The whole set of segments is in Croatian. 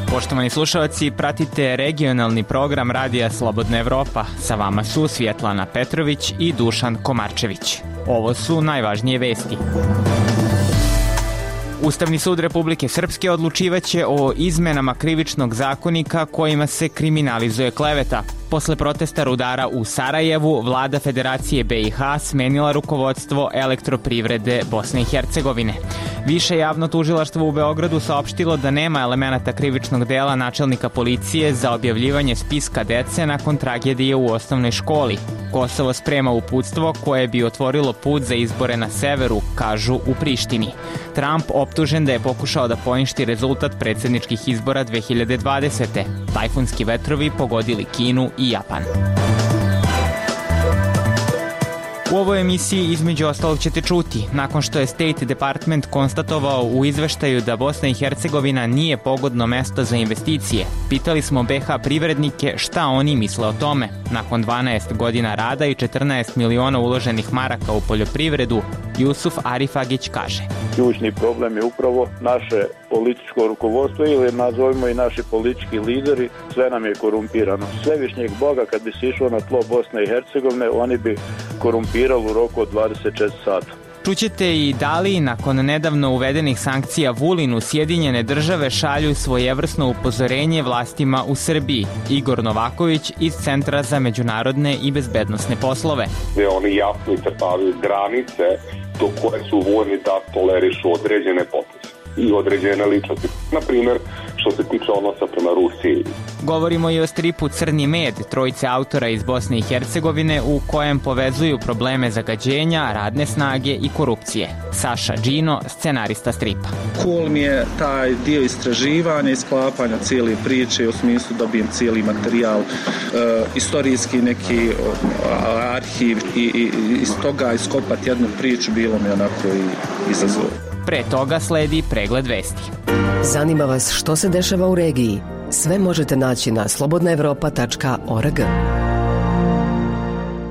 Poštovani slušalci, pratite regionalni program Radija Slobodna Evropa. Sa vama su Svjetlana Petrović i Dušan Komarčević. Ovo su najvažnije vesti. Ustavni sud Republike Srpske odlučivaće o izmenama krivičnog zakonika kojima se kriminalizuje kleveta. Posle protesta rudara u Sarajevu, vlada Federacije BiH smenila rukovodstvo Elektroprivrede Bosne i Hercegovine. Više javno tužilaštvo u Beogradu saopštilo da nema elemenata krivičnog dela načelnika policije za objavljivanje spiska dece nakon tragedije u osnovnoj školi. Kosovo sprema uputstvo koje bi otvorilo put za izbore na severu, kažu u Prištini. Trump optužen da je pokušao da poništi rezultat predsjedničkih izbora 2020. Tajfunski vetrovi pogodili Kinu i Japan. U ovoj emisiji između ostalog ćete čuti, nakon što je State Department konstatovao u izveštaju da Bosna i Hercegovina nije pogodno mesto za investicije, pitali smo BiH privrednike šta oni misle o tome. Nakon 12 godina rada i 14 miliona uloženih maraka u poljoprivredu, Jusuf Arifagić kaže: Ključni problem je upravo naše političko rukovodstvo ili nazovimo i naši politički lideri, sve nam je korumpirano. Svevišnjeg Boga kad bi se išlo na tlo Bosne i Hercegovine, oni bi korumpirali u roku od 24 sata. Čućete i da li nakon nedavno uvedenih sankcija Vulinu Sjedinjene države šalju svojevrsno upozorenje vlastima u Srbiji. Igor Novaković iz Centra za međunarodne i bezbednosne poslove. Oni jasno iscrtavaju granice do koje su voljni da tolerišu određene poteze i određene ličnosti. Na primjer, što se tiče odnosa prema Rusiji. Govorimo i o stripu Crni med, trojice autora iz Bosne i Hercegovine u kojem povezuju probleme zagađenja, radne snage i korupcije. Saša Džino, scenarista stripa. Cool mi je taj dio istraživanja i sklapanja cijele priče, u smislu dobijem cijeli materijal, istorijski neki arhiv i iz toga iskopati jednu priču bilo mi onako i izazov. Pre toga sledi pregled vesti. Zanima vas što se dešava u regiji? Sve možete naći na slobodnaevropa.org.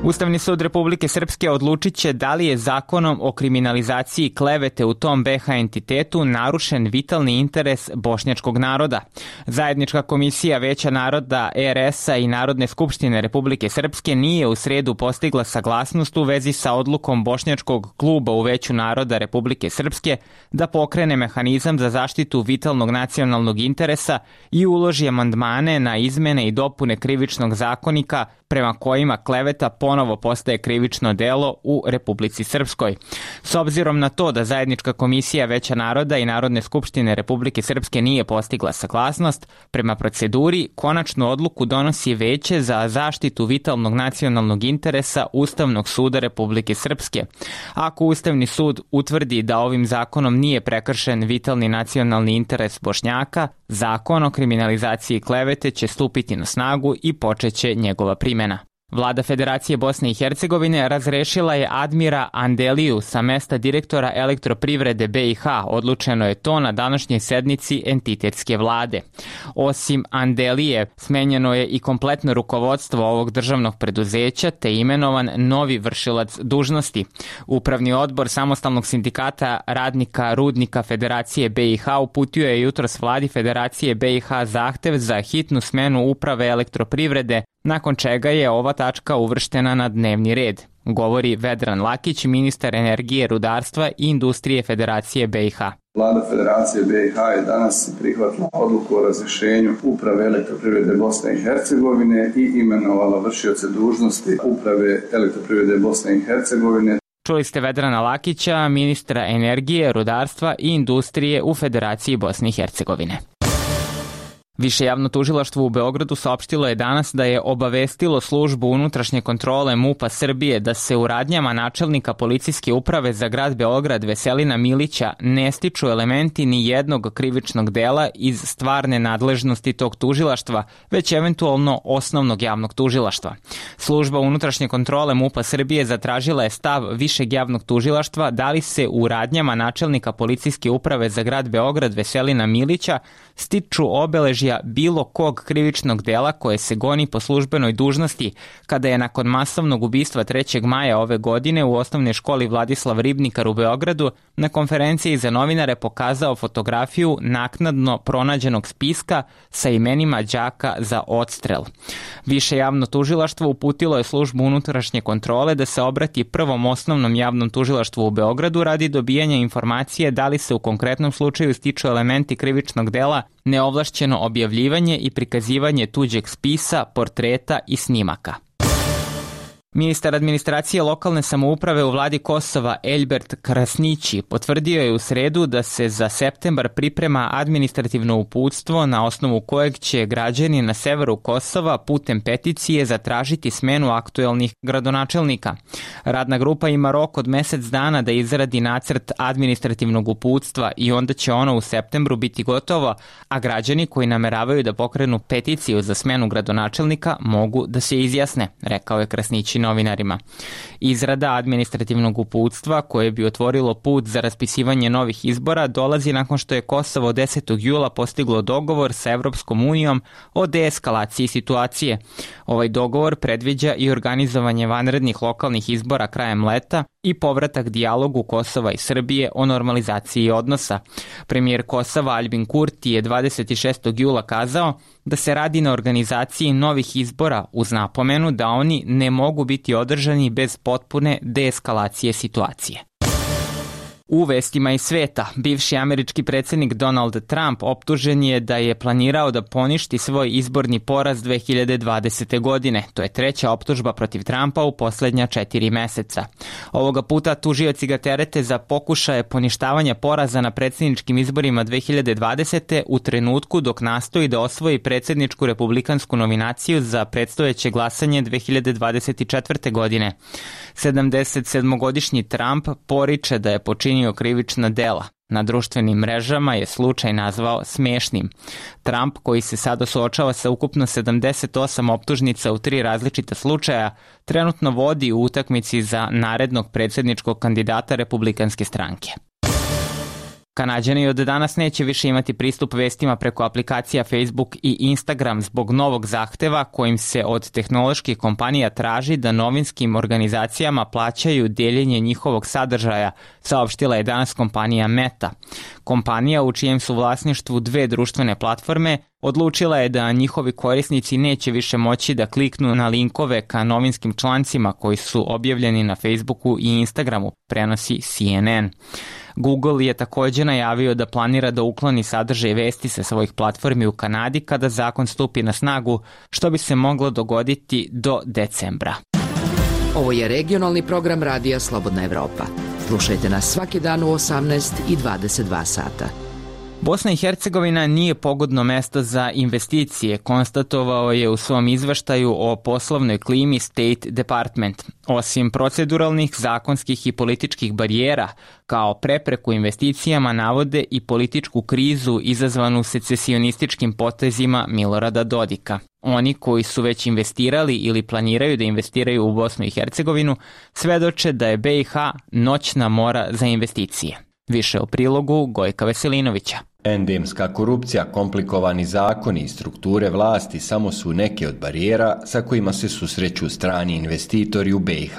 Ustavni sud Republike Srpske odlučit će da li je zakonom o kriminalizaciji klevete u tom BiH entitetu narušen vitalni interes bošnjačkog naroda. Zajednička komisija Veća naroda RS-a i Narodne skupštine Republike Srpske nije u sredu postigla saglasnost u vezi sa odlukom bošnjačkog kluba u Veću naroda Republike Srpske da pokrene mehanizam za zaštitu vitalnog nacionalnog interesa i uloži amandmane na izmene i dopune krivičnog zakonika prema kojima kleveta ponovo postaje krivično delo u Republici Srpskoj. S obzirom na to da Zajednička komisija Veća naroda i Narodne skupštine Republike Srpske nije postigla saglasnost, prema proceduri konačnu odluku donosi Veće za zaštitu vitalnog nacionalnog interesa Ustavnog suda Republike Srpske. Ako Ustavni sud utvrdi da ovim zakonom nije prekršen vitalni nacionalni interes Bošnjaka, zakon o kriminalizaciji klevete će stupiti na snagu i počeće njegova primjena. Vlada Federacije Bosne i Hercegovine razrešila je Admira Andeliju sa mesta direktora Elektroprivrede BiH. Odlučeno je to na današnjoj sednici entitetske vlade. Osim Andelije, smenjeno je i kompletno rukovodstvo ovog državnog preduzeća te imenovan novi vršilac dužnosti. Upravni odbor Samostalnog sindikata radnika Rudnika Federacije BiH uputio je jutros vladi Federacije BiH zahtev za hitnu smenu uprave Elektroprivrede, nakon čega je ova tačka uvrštena na dnevni red, govori Vedran Lakić, ministar energije, rudarstva i industrije Federacije BiH. Vlada Federacije BiH je danas prihvatila odluku o razrješenju uprave Elektroprivrede Bosne i Hercegovine i imenovala vršioce dužnosti uprave Elektroprivrede Bosne i Hercegovine. Čuli ste Vedrana Lakića, ministra energije, rudarstva i industrije u Federaciji Bosne i Hercegovine. Više javno tužilaštvo u Beogradu saopštilo je danas da je obavestilo službu unutrašnje kontrole MUP-a Srbije da se u radnjama načelnika policijske uprave za grad Beograd Veselina Milića ne stiču elementi ni jednog krivičnog dela iz stvarne nadležnosti tog tužilaštva, već eventualno osnovnog javnog tužilaštva. Služba unutrašnje kontrole MUP-a Srbije zatražila je stav višeg javnog tužilaštva da li se u radnjama načelnika policijske uprave za grad Beograd Veselina Milića stiču obeležja slučaja bilo kog krivičnog dela koje se goni po službenoj dužnosti, kada je nakon masovnog ubistva 3. maja ove godine u osnovnoj školi Vladislav Ribnikar u Beogradu na konferenciji za novinare pokazao fotografiju naknadno pronađenog spiska sa imenima đaka za odstrel. Više javno tužilaštvo uputilo je službu unutrašnje kontrole da se obrati Prvom osnovnom javnom tužilaštvu u Beogradu radi dobijanja informacije da li se u konkretnom slučaju stiču elementi krivičnog dela neovlašćeno objavljivanje i prikazivanje tuđeg spisa, portreta i snimaka. Ministar administracije lokalne samouprave u vladi Kosova Elbert Krasnići potvrdio je u sredu da se za septembar priprema administrativno uputstvo na osnovu kojeg će građani na severu Kosova putem peticije zatražiti smenu aktuelnih gradonačelnika. Radna grupa ima rok od mesec dana da izradi nacrt administrativnog uputstva i onda će ono u septembru biti gotovo, a građani koji nameravaju da pokrenu peticiju za smenu gradonačelnika mogu da se izjasne, rekao je Krasnići novinarima. Izrada administrativnog uputstva koje bi otvorilo put za raspisivanje novih izbora dolazi nakon što je Kosovo 10. jula postiglo dogovor sa Evropskom unijom o deeskalaciji situacije. Ovaj dogovor predviđa i organizovanje vanrednih lokalnih izbora krajem leta i povratak dijalogu Kosova i Srbije o normalizaciji odnosa. Premijer Kosova Albin Kurti je 26. jula kazao da se radi na organizaciji novih izbora uz napomenu da oni ne mogu biti održani bez potpune deeskalacije situacije. U vestima iz sveta, bivši američki predsjednik Donald Trump optužen je da je planirao da poništi svoj izborni poraz 2020. godine. To je treća optužba protiv Trumpa u posljednja 4 meseca. Ovoga puta tužioci ga terete za pokušaje poništavanja poraza na predsjedničkim izborima 2020. u trenutku dok nastoji da osvoji predsjedničku republikansku nominaciju za predstojeće glasanje 2024. godine. 77-godišnji Trump poriče da je počinio krivična dela. Na društvenim mrežama je slučaj nazvao smiješnim. Trump, koji se sada suočava sa ukupno 78 optužnica u 3 različita slučaja, trenutno vodi u utakmici za narednog predsjedničkog kandidata republikanske stranke. Kanađani od danas neće više imati pristup vestima preko aplikacija Facebook i Instagram zbog novog zahteva kojim se od tehnoloških kompanija traži da novinskim organizacijama plaćaju deljenje njihovog sadržaja, saopštila je danas kompanija Meta. Kompanija u čijem su vlasništvu 2 društvene platforme odlučila je da njihovi korisnici neće više moći da kliknu na linkove ka novinskim člancima koji su objavljeni na Facebooku i Instagramu, prenosi CNN. Google je također najavio da planira da ukloni sadržaj vesti sa svojih platformi u Kanadi kada zakon stupi na snagu, što bi se moglo dogoditi do decembra. Ovo je regionalni program radija Slobodna Evropa. Slušajte nas svaki dan u 18 i 22 sata. Bosna i Hercegovina nije pogodno mesto za investicije, konstatovao je u svom izveštaju o poslovnoj klimi State Department. Osim proceduralnih, zakonskih i političkih barijera, kao prepreku investicijama navode i političku krizu izazvanu secesionističkim potezima Milorada Dodika. Oni koji su već investirali ili planiraju da investiraju u Bosnu i Hercegovinu svedoče da je BiH noćna mora za investicije. Više o prilogu Gojka Veselinovića. Endemska korupcija, komplikovani zakoni i strukture vlasti samo su neke od barijera sa kojima se susreću strani investitori u BiH.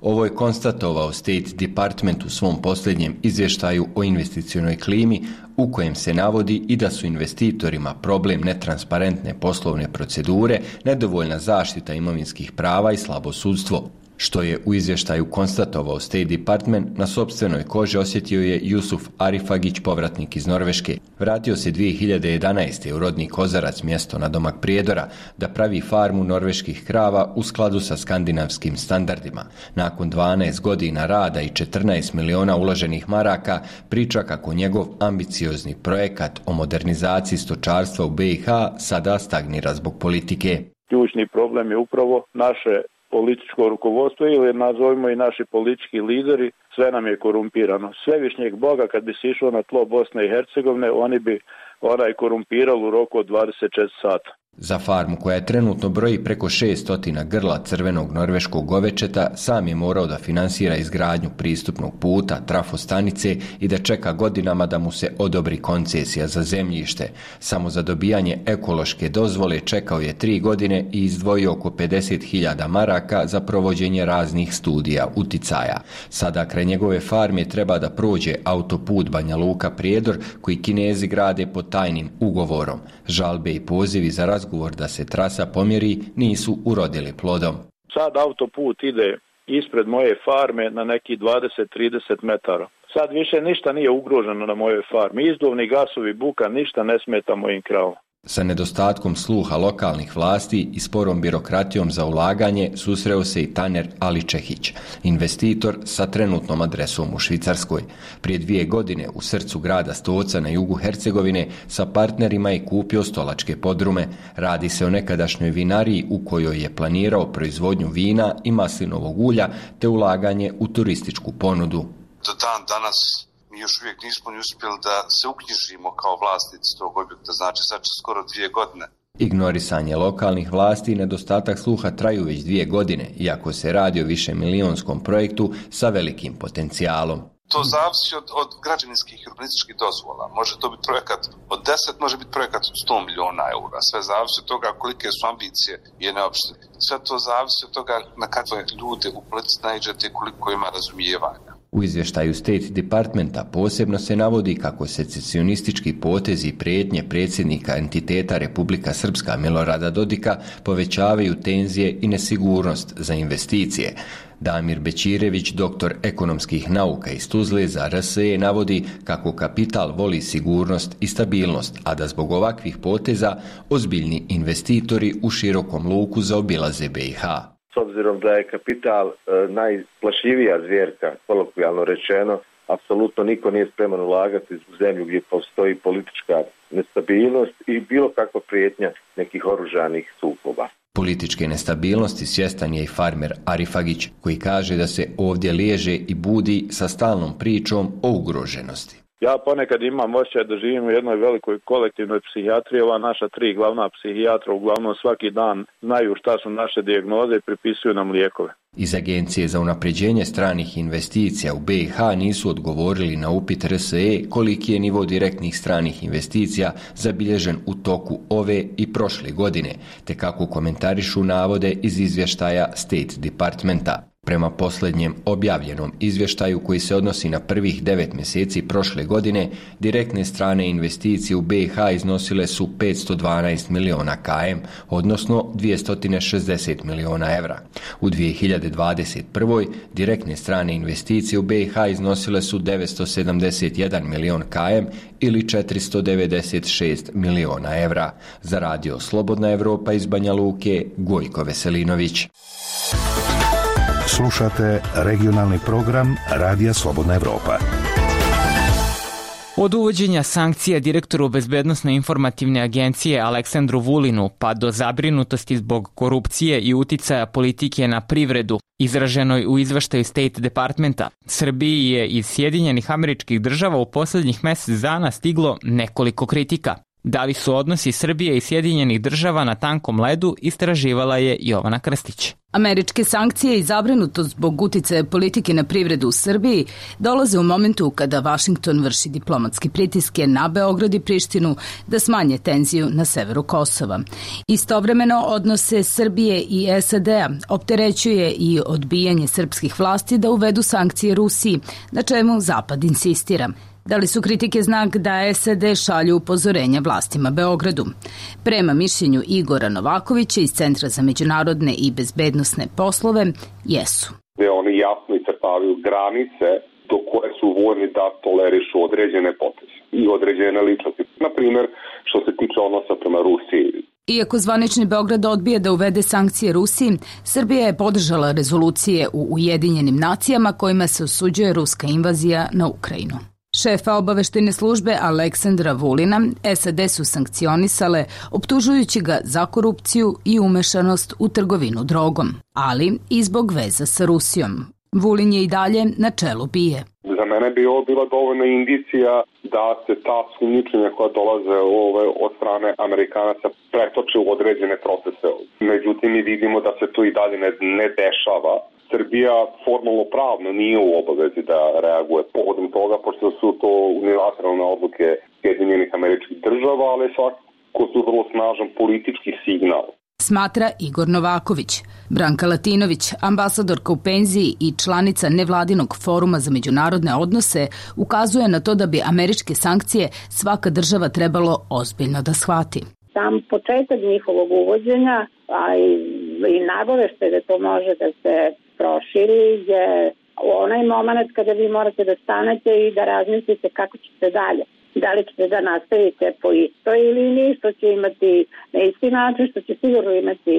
Ovo je konstatovao State Department u svom posljednjem izvještaju o investicionoj klimi, u kojem se navodi i da su investitorima problem netransparentne poslovne procedure, nedovoljna zaštita imovinskih prava i slabo sudstvo. Što je u izvještaju konstatovao State Department, na sopstvenoj koži osjetio je Jusuf Arifagić, povratnik iz Norveške. Vratio se 2011. u rodni Kozarac, mjesto na domak Prijedora, da pravi farmu norveških krava u skladu sa skandinavskim standardima. Nakon 12 godina rada i 14 miliona uloženih maraka, priča kako njegov ambiciozni projekat o modernizaciji stočarstva u BiH sada stagnira zbog politike. Ključni problem je upravo naše političko rukovodstvo ili nazovimo i naši politički lideri, sve nam je korumpirano. Svevišnjeg Boga kad bi se išlo na tlo Bosne i Hercegovine, oni bi korumpirali u roku od 24 sata. Za farmu koja je trenutno broji preko 600 grla crvenog norveškog govečeta sam je morao da finansira izgradnju pristupnog puta, trafostanice i da čeka godinama da mu se odobri koncesija za zemljište. Samo za dobijanje ekološke dozvole čekao je 3 godine i izdvojio oko 50.000 maraka za provođenje raznih studija uticaja. Sada kraj njegove farme treba da prođe autoput Banja Luka-Prijedor koji Kinezi grade pod tajnim ugovorom. Žalbe i pozivi za razgovor da se trasa pomjeri nisu urodili plodom. Sad autoput ide ispred moje farme na neki 20-30 metara. Sad više ništa nije ugroženo na mojoj farmi. Izduvni gasovi, buka, ništa ne smeta mojim kravama. Sa nedostatkom sluha lokalnih vlasti i sporom birokratijom za ulaganje susreo se i Taner Aličehić, investitor sa trenutnom adresom u Švicarskoj. Prije 2 godine u srcu grada Stoca na jugu Hercegovine sa partnerima je kupio stolačke podrume. Radi se o nekadašnjoj vinariji u kojoj je planirao proizvodnju vina i maslinovog ulja te ulaganje u turističku ponudu. Do dan danas mi još uvijek nismo uspjeli da se uknjižimo kao vlasnici tog objekta, znači sad će skoro 2 godine. Ignorisanje lokalnih vlasti i nedostatak sluha traju već 2 godine, iako se radi o višemilijonskom projektu sa velikim potencijalom. To zavisi od građevinskih i urbanističkih dozvola. Može to biti projekat od 10, može biti projekat od 100 miliona eura. Sve zavisi od toga kolike su ambicije jedne opštine. Sve to zavisi od toga na kakve ljude u politici naiđete i koliko ima razumijevanja. U izvještaju State Departmenta posebno se navodi kako secesionistički potezi i prijetnje predsjednika entiteta Republika Srpska Milorada Dodika povećavaju tenzije i nesigurnost za investicije. Damir Bećirević, doktor ekonomskih nauka iz Tuzle za RSE, navodi kako kapital voli sigurnost i stabilnost, a da zbog ovakvih poteza ozbiljni investitori u širokom luku zaobilaze BiH. S obzirom da je kapital najplašljivija zvjerka, kolokvijalno rečeno, apsolutno niko nije spreman ulagati u zemlju gdje postoji politička nestabilnost i bilo kakva prijetnja nekih oružanih sukoba. Političke nestabilnosti svjestan je i farmer Arifagić, koji kaže da se ovdje liježe i budi sa stalnom pričom o ugroženosti. Ja ponekad imam osjećaj da živim u jednoj velikoj kolektivnoj psihijatriji. Ova naša 3 glavna psihijatra uglavnom svaki dan znaju šta su naše dijagnoze i pripisuju nam lijekove. Iz Agencije za unapređenje stranih investicija u BiH nisu odgovorili na upit RSE koliki je nivo direktnih stranih investicija zabilježen u toku ove i prošle godine, te kako komentarišu navode iz izvještaja State Departmenta. Prema posljednjem objavljenom izvještaju koji se odnosi na prvih 9 mjeseci prošle godine, direktne strane investicije u BiH iznosile su 512 miliona km, odnosno 260 miliona evra. U 2021. direktne strane investicije u BiH iznosile su 971 milion km ili 496 miliona evra. Za radio Slobodna Evropa iz Banja Luke, Gojko Veselinović. Slušate regionalni program Radija Slobodna Evropa. Od uvođenja sankcija direktoru Bezbednosno-informativne agencije Aleksandru Vulinu pa do zabrinutosti zbog korupcije i uticaja politike na privredu, izraženoj u izveštaju State Departmenta, Srbiji je iz Sjedinjenih Američkih Država u posljednjih mjesec dana stiglo nekoliko kritika. Da li su odnosi Srbije i Sjedinjenih Država na tankom ledu, istraživala je Jovana Krstić. Američke sankcije i zabrinutost zbog uticaja politike na privredu u Srbiji dolaze u momentu kada Vašington vrši diplomatske pritiske na Beograd i Prištinu da smanje tenziju na severu Kosova. Istovremeno odnose Srbije i SAD-a opterećuje i odbijanje srpskih vlasti da uvedu sankcije Rusiji, na čemu Zapad insistira. Da li su kritike znak da SAD šalju upozorenja vlastima Beogradu? Prema mišljenju Igora Novakovića iz Centra za međunarodne i bezbednosne poslove, jesu. Oni jasno iscrtavaju granice do koje su voljni da tolerišu određene poteze i određene ličnosti. Na primjer, što se tiče odnosa prema Rusiji. Iako zvanični Beograd odbije da uvede sankcije Rusiji, Srbija je podržala rezolucije u Ujedinjenim nacijama kojima se osuđuje ruska invazija na Ukrajinu. Šefa obaveštajne službe Aleksandra Vulina SAD su sankcionisale optužujući ga za korupciju i umešanost u trgovinu drogom, ali i zbog veza sa Rusijom. Vulin je i dalje na čelu BIA. Za mene bi ovo bila dovoljna indicija da se ta sumnjičenja koja dolaze od strane Amerikanaca pretoče u određene procese. Međutim, mi vidimo da se to i dalje ne dešava. Srbija formalno pravno nije u obavezi da reaguje povodom toga, pošto su to unilateralne odluke Sjedinjenih Američkih Država, ali svakako su vrlo snažan politički signal. Smatra Igor Novaković. Branka Latinović, ambasadorka u penziji i članica nevladinog foruma za međunarodne odnose, ukazuje na to da bi američke sankcije svaka država trebalo ozbiljno da shvati. Sam početak njihovog uvođenja, a i nagoveštaj da to može da se proširi, je onaj moment kada vi morate da stanete i da razmislite kako ćete dalje. Da li ćete da nastavite po istoj liniji, što će imati na isti način, što će sigurno imati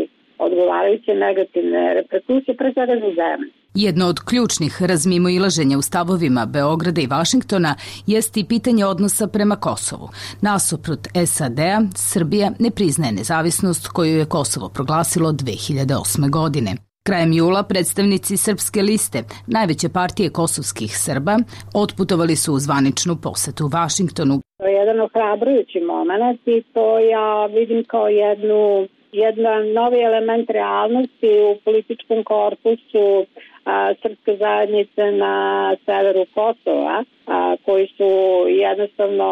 odgovarajuće negativne reperkusije, pre svega za zemlju. Jedno od ključnih razmimoilaženja u stavovima Beograda i Vašingtona jest i pitanje odnosa prema Kosovu. Nasuprot SAD-a, Srbija ne priznaje nezavisnost koju je Kosovo proglasilo 2008. godine. Krajem jula predstavnici Srpske liste, najveće partije kosovskih Srba, otputovali su u zvaničnu posetu Vašingtonu. To je jedan ohrabrujući moment i to ja vidim kao jedan novi element realnosti u političkom korpusu srpske zajednice na severu Kosova, koji su jednostavno,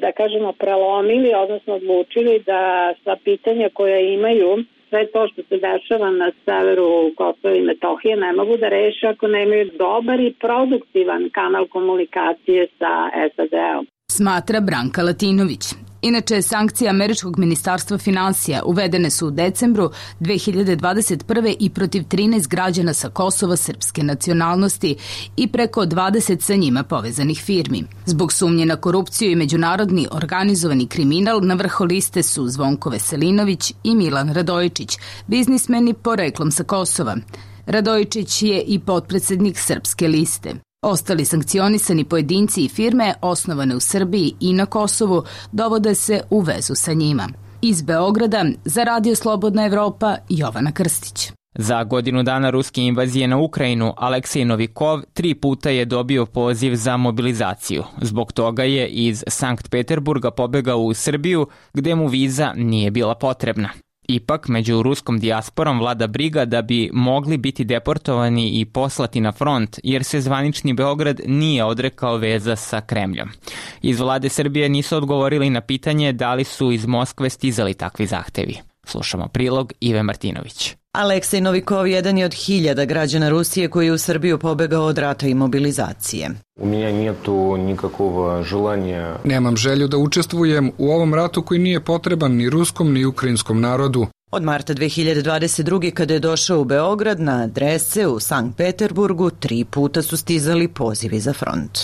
da kažemo, prelomili, odnosno odlučili da sva pitanja koja imaju, sve to što se dešava na severu Kosova i Metohije, ne mogu da reše ako nemaju dobar i produktivan kanal komunikacije sa SAD-om. Smatra Branka Latinović. Inače, sankcije američkog ministarstva finansija uvedene su u decembru 2021. i protiv 13 građana sa Kosova srpske nacionalnosti i preko 20 sa njima povezanih firmi. Zbog sumnje na korupciju i međunarodni organizovani kriminal na vrhu liste su Zvonko Veselinović i Milan Radojičić, biznismeni poreklom sa Kosova. Radojičić je i potpredsednik Srpske liste. Ostali sankcionisani pojedinci i firme osnovane u Srbiji i na Kosovu dovode se u vezu sa njima. Iz Beograda za Radio Slobodna Evropa, Jovana Krstić. Za godinu dana ruske invazije na Ukrajinu, Aleksej Novikov 3 puta je dobio poziv za mobilizaciju. Zbog toga je iz Sankt Peterburga pobegao u Srbiju, gde mu viza nije bila potrebna. Ipak, među ruskom dijasporom vlada briga da bi mogli biti deportovani i poslati na front, jer se zvanični Beograd nije odrekao veza sa Kremljom. Iz vlade Srbije nisu odgovorili na pitanje da li su iz Moskve stizali takvi zahtevi. Slušamo prilog Ive Martinović. Aleksej Novikov jedan je od 1000 građana Rusije koji je u Srbiju pobegao od rata i mobilizacije. Nemam želju da učestvujem u ovom ratu koji nije potreban ni ruskom ni ukrajinskom narodu. Od marta 2022. kada je došao u Beograd na adrese u Sankt Peterburgu 3 puta su stizali pozivi za front.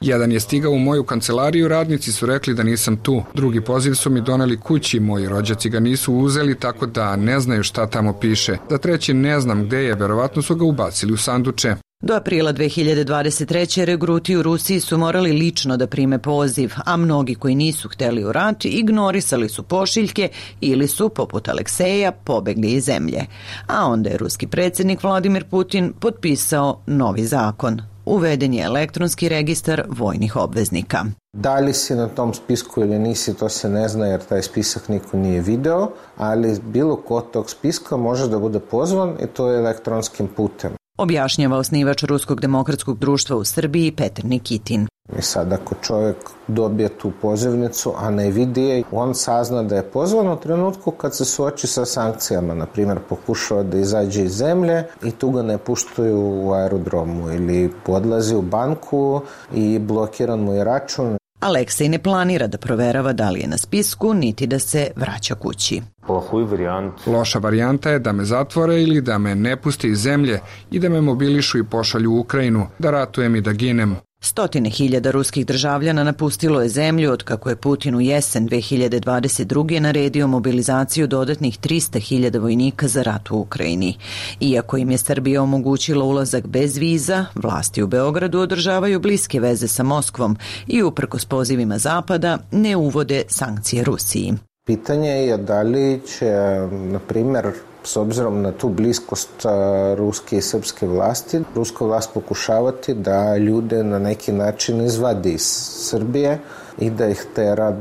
Jedan je stigao u moju kancelariju, radnici su rekli da nisam tu. Drugi poziv su mi doneli kući, moji rođaci ga nisu uzeli, tako da ne znaju šta tamo piše. Za treći ne znam gde je, verovatno su ga ubacili u sanduče. Do aprila 2023. regruti u Rusiji su morali lično da prime poziv, a mnogi koji nisu hteli u rat ignorisali su pošiljke ili su, poput Alekseja, pobegli iz zemlje. A onda je ruski predsjednik Vladimir Putin potpisao novi zakon. Uveden je elektronski registar vojnih obveznika. Da li si na tom spisku ili nisi, to se ne zna jer taj spisak niko nije video, ali bilo ko tog spiska može da bude pozvan i to je elektronskim putem. Objašnjava osnivač Ruskog demokratskog društva u Srbiji Petar Nikitin. I sad ako čovjek dobije tu pozivnicu, a ne vidi je, on sazna da je pozvan u trenutku kad se suoči sa sankcijama. Na primjer, pokušava da izađe iz zemlje i tu ga ne puštaju u aerodromu ili odlazi u banku i blokiran mu je račun. Aleksej ne planira da proverava da li je na spisku, niti da se vraća kući. Loša varijanta je da me zatvore ili da me ne puste iz zemlje i da me mobilišu i pošalju u Ukrajinu, da ratujem i da ginem. 100.000 ruskih državljana napustilo je zemlju od kako je Putin u jesen 2022. naredio mobilizaciju dodatnih 300.000 vojnika za rat u Ukrajini. Iako im je Srbija omogućila ulazak bez viza, vlasti u Beogradu održavaju bliske veze sa Moskvom i uprkos pozivima Zapada ne uvode sankcije Rusiji. Pitanje je da li će, na primjer, s obzirom na tu bliskost ruske i srpske vlasti, ruska vlast pokušavati da ljude na neki način izvadi iz Srbije i da ih tera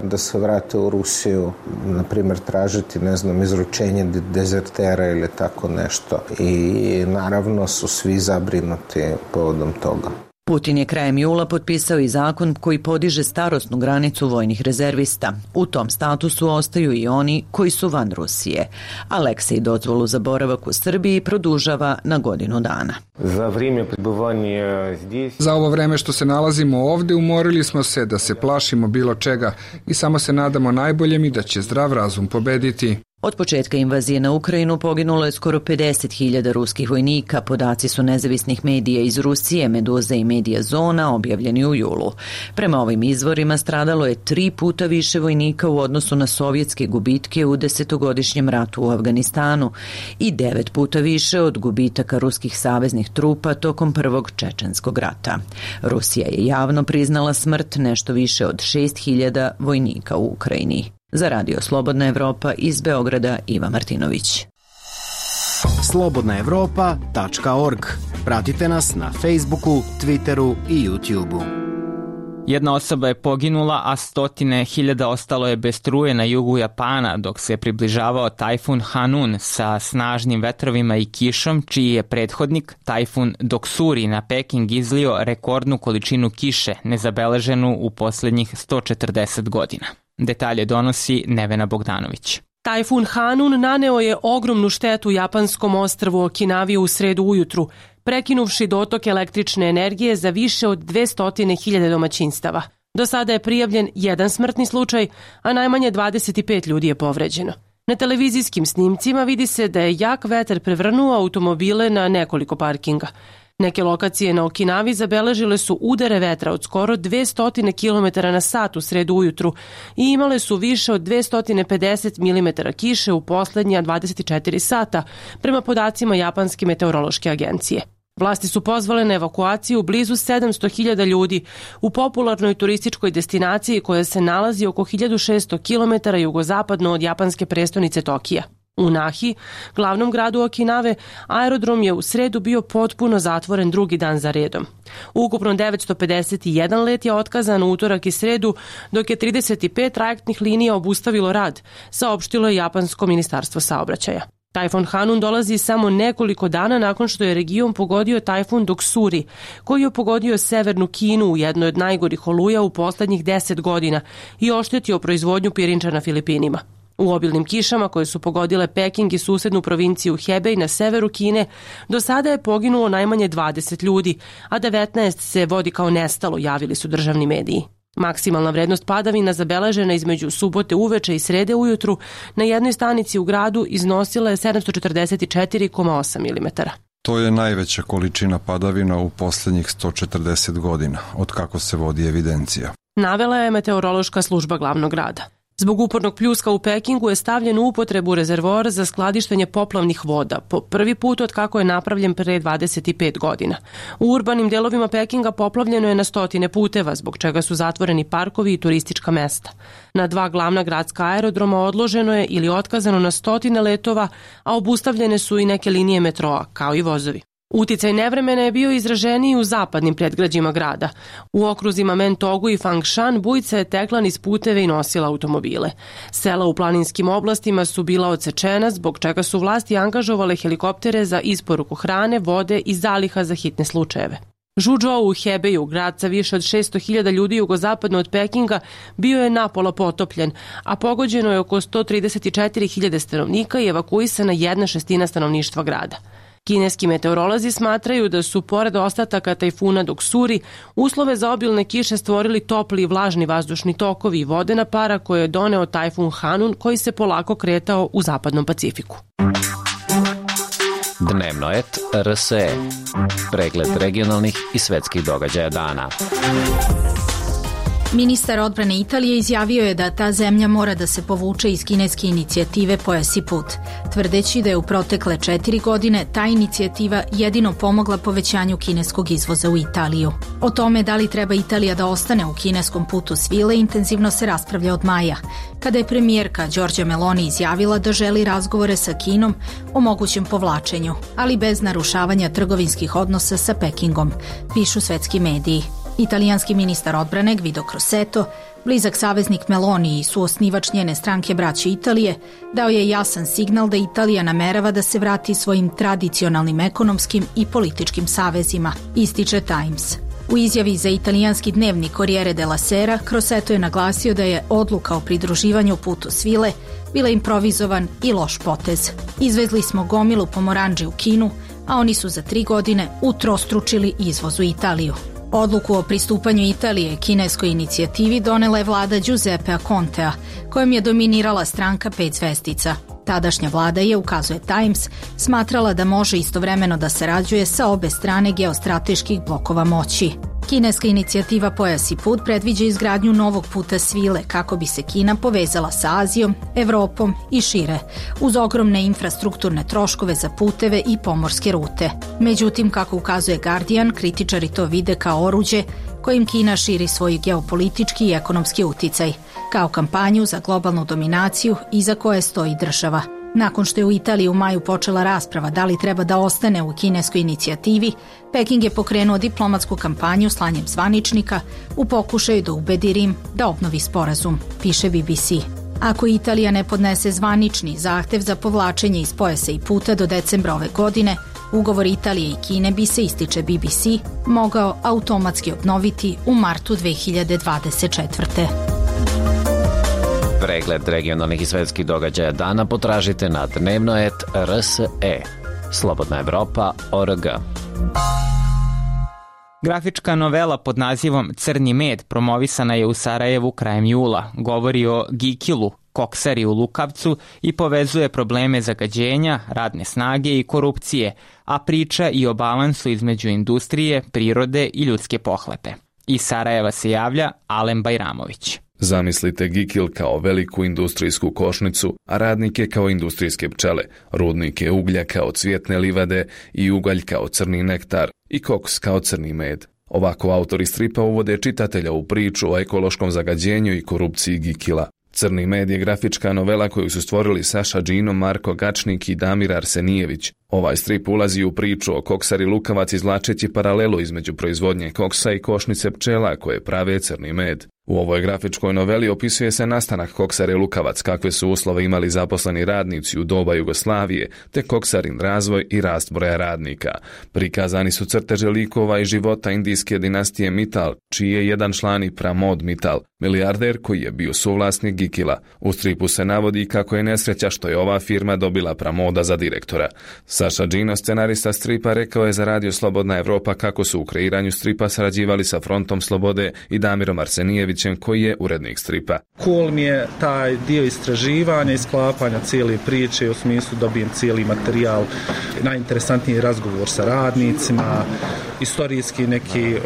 da se vrate u Rusiju, na primjer tražiti, izručenje dezertera ili tako nešto. I naravno su svi zabrinuti povodom toga. Putin je krajem jula potpisao i zakon koji podiže starosnu granicu vojnih rezervista. U tom statusu ostaju i oni koji su van Rusije. Aleksej dozvolu za boravak u Srbiji produžava na godinu dana. Za ovo vreme što se nalazimo ovde umorili smo se da se plašimo bilo čega i samo se nadamo najboljem i da će zdrav razum pobediti. Od početka invazije na Ukrajinu poginulo je skoro 50.000 ruskih vojnika. Podaci su nezavisnih medija iz Rusije, Meduza i Medija Zona, objavljeni u julu. Prema ovim izvorima stradalo je 3 puta više vojnika u odnosu na sovjetske gubitke u 10-godišnjem ratu u Afganistanu i 9 puta više od gubitaka ruskih saveznih trupa tokom prvog čečenskog rata. Rusija je javno priznala smrt nešto više od 6.000 vojnika u Ukrajini. Za Radio Slobodna Evropa iz Beograda, Iva Martinović. slobodnaevropa.org. Pratite nas na Facebooku, Twitteru i YouTubeu. Jedna osoba je poginula, a 100.000 ostalo je bez struje na jugu Japana dok se približavao tajfun Hanun sa snažnim vetrovima i kišom, čiji je prethodnik, tajfun Doksuri, na Peking izlio rekordnu količinu kiše, nezabeleženu u posljednjih 140 godina. Detalje donosi Nevena Bogdanović. Tajfun Hanun naneo je ogromnu štetu japanskom ostrvu Okinavi u sredu ujutru, prekinuvši dotok električne energije za više od 200.000 domaćinstava. Do sada je prijavljen 1 smrtni slučaj, a najmanje 25 ljudi je povređeno. Na televizijskim snimcima vidi se da je jak vetar prevrnuo automobile na nekoliko parkinga. Neke lokacije na Okinavi zabeležile su udare vetra od skoro 200 km na sat u sredu ujutru i imale su više od 250 mm kiše u poslednja 24 sata, prema podacima Japanske meteorološke agencije. Vlasti su pozvale na evakuaciju blizu 700.000 ljudi u popularnoj turističkoj destinaciji koja se nalazi oko 1600 km jugozapadno od japanske prestonice Tokija. U Nahi, glavnom gradu Okinave, aerodrom je u sredu bio potpuno zatvoren drugi dan za redom. Ukupno 951 let je otkazan u utorak i sredu, dok je 35 trajektnih linija obustavilo rad, saopštilo je Japansko ministarstvo saobraćaja. Tajfun Hanun dolazi samo nekoliko dana nakon što je region pogodio tajfun Doksuri, koji je pogodio severnu Kinu u jednoj od najgorih oluja u poslednjih 10 godina i oštetio proizvodnju pirinča na Filipinima. U obilnim kišama koje su pogodile Peking i susednu provinciju Hebej na severu Kine, do sada je poginulo najmanje 20 ljudi, a 19 se vodi kao nestalo, javili su državni mediji. Maksimalna vrednost padavina zabeležena između subote uveče i srede ujutru na jednoj stanici u gradu iznosila je 744,8 mm. To je najveća količina padavina u posljednjih 140 godina, od kako se vodi evidencija. Navela je meteorološka služba glavnog grada. Zbog upornog pljuska u Pekingu je stavljen u upotrebu rezervoar za skladištenje poplavnih voda, po prvi put od kako je napravljen pre 25 godina. U urbanim delovima Pekinga poplavljeno je na 100 puteva, zbog čega su zatvoreni parkovi i turistička mesta. Na 2 glavna gradska aerodroma odloženo je ili otkazano na 100 letova, a obustavljene su i neke linije metroa, kao i vozovi. Uticaj nevremena je bio izraženiji u zapadnim predgrađima grada. U okruzima Mentogu i Fangshan bujica je tekla niz puteve i nosila automobile. Sela u planinskim oblastima su bila odsečena, zbog čega su vlasti angažovale helikoptere za isporuku hrane, vode i zaliha za hitne slučajeve. Žuzhou u Hebeju, grad sa više od 600.000 ljudi jugozapadno od Pekinga, bio je napola potopljen, a pogođeno je oko 134.000 stanovnika i evakuisana 1/6 stanovništva grada. Kineski meteorolozi smatraju da su, pored ostataka tajfuna Doksuri, uslove za obilne kiše stvorili topli i vlažni vazdušni tokovi i vodena para koje je doneo tajfun Hanun, koji se polako kretao u zapadnom Pacifiku. Dnevnoet RSE. Pregled regionalnih i svetskih događaja dana. Ministar odbrane Italije izjavio je da ta zemlja mora da se povuče iz kineske inicijative Pojas i put, tvrdeći da je u protekle 4 godine ta inicijativa jedino pomogla povećanju kineskog izvoza u Italiju. O tome da li treba Italija da ostane u kineskom putu svile intenzivno se raspravlja od maja, kada je premijerka Giorgia Meloni izjavila da želi razgovore sa Kinom o mogućem povlačenju, ali bez narušavanja trgovinskih odnosa sa Pekingom, pišu svetski mediji. Italijanski ministar odbrane Guido Crosetto, blizak saveznik Meloni i suosnivač njene stranke Braće Italije, dao je jasan signal da Italija namerava da se vrati svojim tradicionalnim ekonomskim i političkim savezima, ističe Times. U izjavi za italijanski dnevnik Corriere della Sera, Crosetto je naglasio da je odluka o pridruživanju putu svile bila improvizovan i loš potez. Izvezli smo gomilu pomoranđe u Kinu, a oni su za 3 godine utrostručili izvoz u Italiju. Odluku o pristupanju Italije kineskoj inicijativi donela je vlada Giuseppea Contea, kojom je dominirala stranka 5 zvezdica. Tadašnja vlada je, ukazuje Times, smatrala da može istovremeno da sarađuje sa obe strane geostrateških blokova moći. Kineska inicijativa Pojas i put predviđa izgradnju novog puta svile kako bi se Kina povezala sa Azijom, Evropom i šire, uz ogromne infrastrukturne troškove za puteve i pomorske rute. Međutim, kako ukazuje Guardian, kritičari to vide kao oruđe kojim Kina širi svoj geopolitički i ekonomski uticaj, kao kampanju za globalnu dominaciju iza koje stoji država. Nakon što je u Italiji u maju počela rasprava da li treba da ostane u kineskoj inicijativi, Peking je pokrenuo diplomatsku kampanju slanjem zvaničnika u pokušaju da ubedi Rim da obnovi sporazum, piše BBC. Ako Italija ne podnese zvanični zahtev za povlačenje iz pojasa i puta do decembra ove godine, ugovor Italije i Kine bi se, ističe BBC, mogao automatski obnoviti u martu 2024. Pregled regionalnih i svetskih događaja dana potražite na dnevnoet.rse. Slobodna Evropa.org. Grafička novela pod nazivom Crni med promovisana je u Sarajevu krajem jula. Govori o Gikilu, koksari u Lukavcu i povezuje probleme zagađenja, radne snage i korupcije, a priča i o balansu između industrije, prirode i ljudske pohlepe. Iz Sarajeva se javlja Alen Bajramović. Zamislite Gikil kao veliku industrijsku košnicu, a radnike kao industrijske pčele, rudnike uglja kao cvjetne livade i ugalj kao crni nektar i koks kao crni med. Ovako autori stripa uvode čitatelja u priču o ekološkom zagađenju i korupciji Gikila. Crni med je grafička novela koju su stvorili Saša Džino, Marko Gačnik i Damir Arsenijević. Ovaj strip ulazi u priču o koksari Lukavac izvlačeći paralelu između proizvodnje koksa i košnice pčela koje prave crni med. U ovoj grafičkoj noveli opisuje se nastanak koksare Lukavac, kakve su uslove imali zaposleni radnici u doba Jugoslavije, te koksarin razvoj i rast broja radnika. Prikazani su crteže likova i života indijske dinastije Mittal, čiji je jedan član i Pramod Mittal, milijarder koji je bio suvlasnik Gikila. U stripu se navodi kako je nesreća što je ova firma dobila Pramoda za direktora. Saša Džino, scenarista stripa, rekao je za Radio Slobodna Evropa kako su u kreiranju stripa sarađivali sa Frontom Slobode i Damirom Arsenijevićem, koji je urednik stripa. Cool mi je taj dio istraživanja i sklapanja cijele priče, u smislu dobijem cijeli materijal, najinteresantniji razgovor sa radnicima, istorijski neki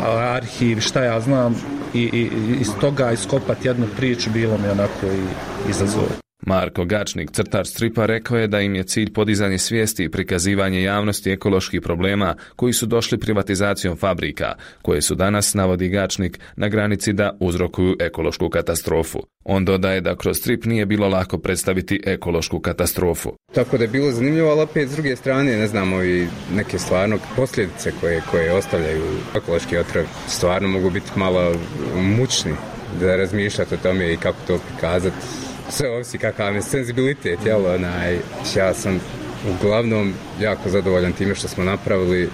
arhiv, šta ja znam, i iz toga iskopati jednu priču bilo mi onako i izazov. Marko Gačnik, crtač stripa, rekao je da im je cilj podizanje svijesti i prikazivanje javnosti ekoloških problema koji su došli privatizacijom fabrika, koje su danas, navodi Gačnik, na granici da uzrokuju ekološku katastrofu. On dodaje da kroz strip nije bilo lako predstaviti ekološku katastrofu. Tako da je bilo zanimljivo, ali opet s druge strane, ne znamo, i neke stvarno posljedice koje ostavljaju ekološki otrov stvarno mogu biti malo mučni da razmišljate o tome i kako to prikazati. Sve ovisi kakav je senzibilitet, jel, ja sam uglavnom jako zadovoljan time što smo napravili i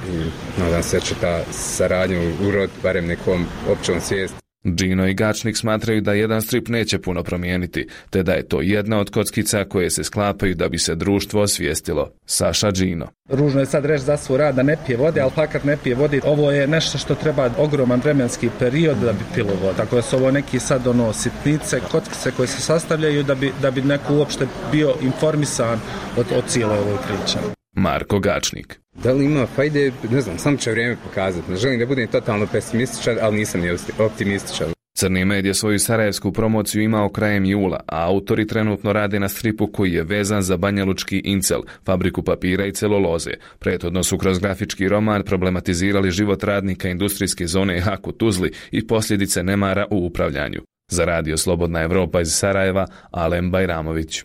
nadam se da će ta saradnja uroditi barem nekom općom svijesti. Džino i Gačnik smatraju da jedan strip neće puno promijeniti, te da je to jedna od kockica koje se sklapaju da bi se društvo osvijestilo. Saša Džino. Ružno je sad reći za svoj rad da ne pije vode, ali fakat ne pije vode. Ovo je nešto što treba ogroman vremenski period da bi pilo vodu. Tako da su ovo neki sad sitnice, kockice koje se sastavljaju da bi neko uopšte bio informisan od cijele ovoj priče. Marko Gačnik. Da li ima fajde, ne znam, samo će vrijeme pokazati. Ne želim da budem totalno pesimističan, ali nisam ni optimističan. Crni med je svoju sarajevsku promociju imao krajem jula, a autori trenutno rade na stripu koji je vezan za banjalučki Incel, fabriku papira i celuloze. Prethodno su kroz grafički roman problematizirali život radnika industrijske zone Hak u Tuzli i posljedice nemara u upravljanju. Za radio Slobodna Evropa iz Sarajeva, Alem Bajramović.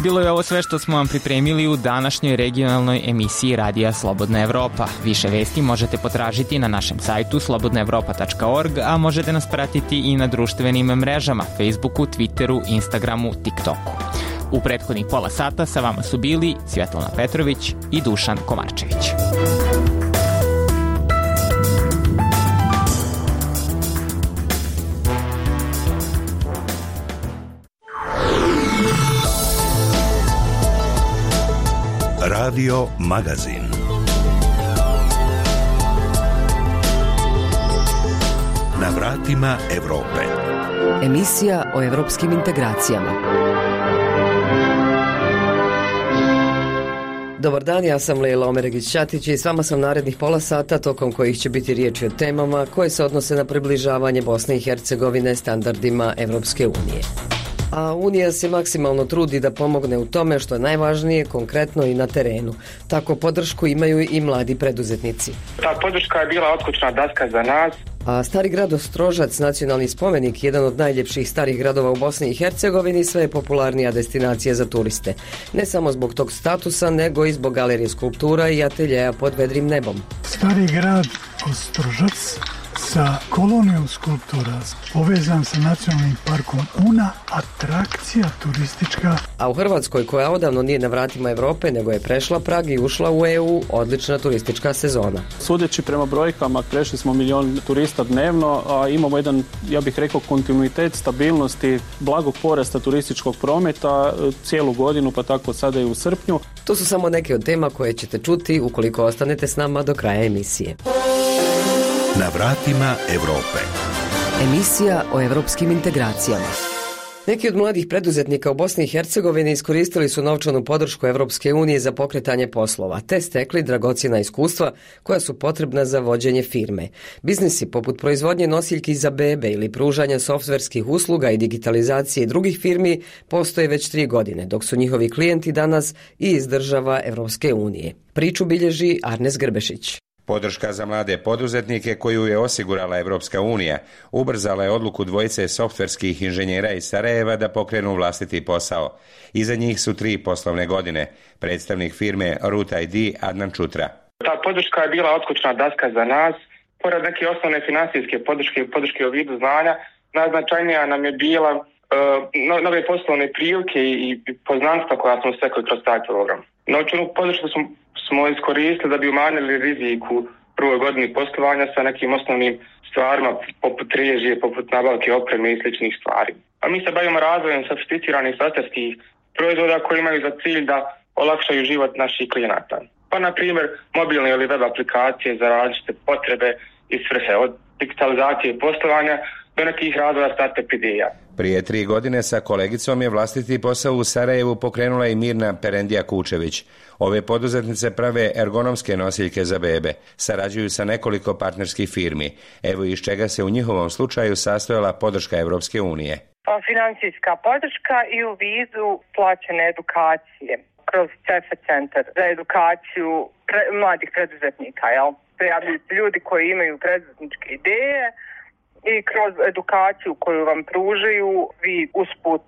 Bilo je ovo sve što smo vam pripremili u današnjoj regionalnoj emisiji Radija Slobodna Evropa. Više vesti možete potražiti na našem sajtu slobodnaevropa.org, a možete nas pratiti i na društvenim mrežama Facebooku, Twitteru, Instagramu, TikToku. U prethodnih pola sata sa vama su bili Svjetlana Petrović i Dušan Komarčević. Radio Magazin. Na vratima Evrope. Emisija o evropskim integracijama. Dobar dan, ja sam Lejla Omeregić-Ćatić i s vama sam narednih pola sata, tokom kojih će biti riječi o temama koje se odnose na približavanje Bosne i Hercegovine standardima Evropske unije. A Unija se maksimalno trudi da pomogne u tome što je najvažnije, konkretno i na terenu. Tako podršku imaju i mladi preduzetnici. Ta podrška je bila otkućna daska za nas. A Stari grad Ostrožac, nacionalni spomenik, jedan od najljepših starih gradova u Bosni i Hercegovini, sve je popularnija destinacija za turiste. Ne samo zbog tog statusa, nego i zbog galerije skulptura i ateljeja pod vedrim nebom. Stari grad Ostrožac sa kolonijom skulptura, povezan sa nacionalnim parkom Una, atrakcija turistička. A u Hrvatskoj, koja odavno nije na vratima Evrope, nego je prešla prag i ušla u EU, odlična turistička sezona. Sudeći prema brojkama, prešli smo 1 milion turista dnevno, a imamo jedan, ja bih rekao, kontinuitet stabilnosti, blagog porasta turističkog prometa cijelu godinu, pa tako sada i u srpnju. To su samo neke od tema koje ćete čuti ukoliko ostanete s nama do kraja emisije. Na vratima Evrope. Emisija o evropskim integracijama. Neki od mladih preduzetnika u Bosni i Hercegovini iskoristili su novčanu podršku Evropske unije za pokretanje poslova, te stekli dragocjena iskustva koja su potrebna za vođenje firme. Biznisi poput proizvodnje nosiljki za bebe ili pružanja softverskih usluga i digitalizacije drugih firmi postoje već 3 godine, dok su njihovi klijenti danas i iz država Evropske unije. Priču bilježi Arnes Grbešić. Podrška za mlade poduzetnike koju je osigurala Evropska unija ubrzala je odluku dvojice softverskih inženjera iz Sarajeva da pokrenu vlastiti posao. Iza njih su 3 poslovne godine. Predstavnik firme Root ID Adnan Čutra. Ta podrška je bila otkućna daska za nas. Pored neke osnovne financijske podrške u vidu znanja, najznačajnija nam je bila nove poslovne prilike i poznanstva koja smo stekli kroz taj program. Novčanu podršku smo iskoristili da bi umanjili rizik u prvoj godini poslovanja sa nekim osnovnim stvarima poput režije, poput nabavke opreme i sličnih stvari. A mi se bavimo razvojem sofisticiranih softverskih proizvoda koji imaju za cilj da olakšaju život naših klijenata. Pa na primjer mobilne ili web aplikacije za različite potrebe i svrhe, od digitalizacije poslovanja do nekih razvoja startup ideja. Prije 3 godine sa kolegicom je vlastiti posao u Sarajevu pokrenula i Mirna Perendija Kučević. Ove poduzetnice prave ergonomske nosiljke za bebe. Sarađuju sa nekoliko partnerskih firmi. Evo iz čega se u njihovom slučaju sastojala podrška Evropske unije. Financijska podrška i u vidu plaćene edukacije kroz CEFE centar za edukaciju mladih preduzetnika. Prijavljuju ljudi koji imaju preduzetničke ideje i kroz edukaciju koju vam pružaju, vi usput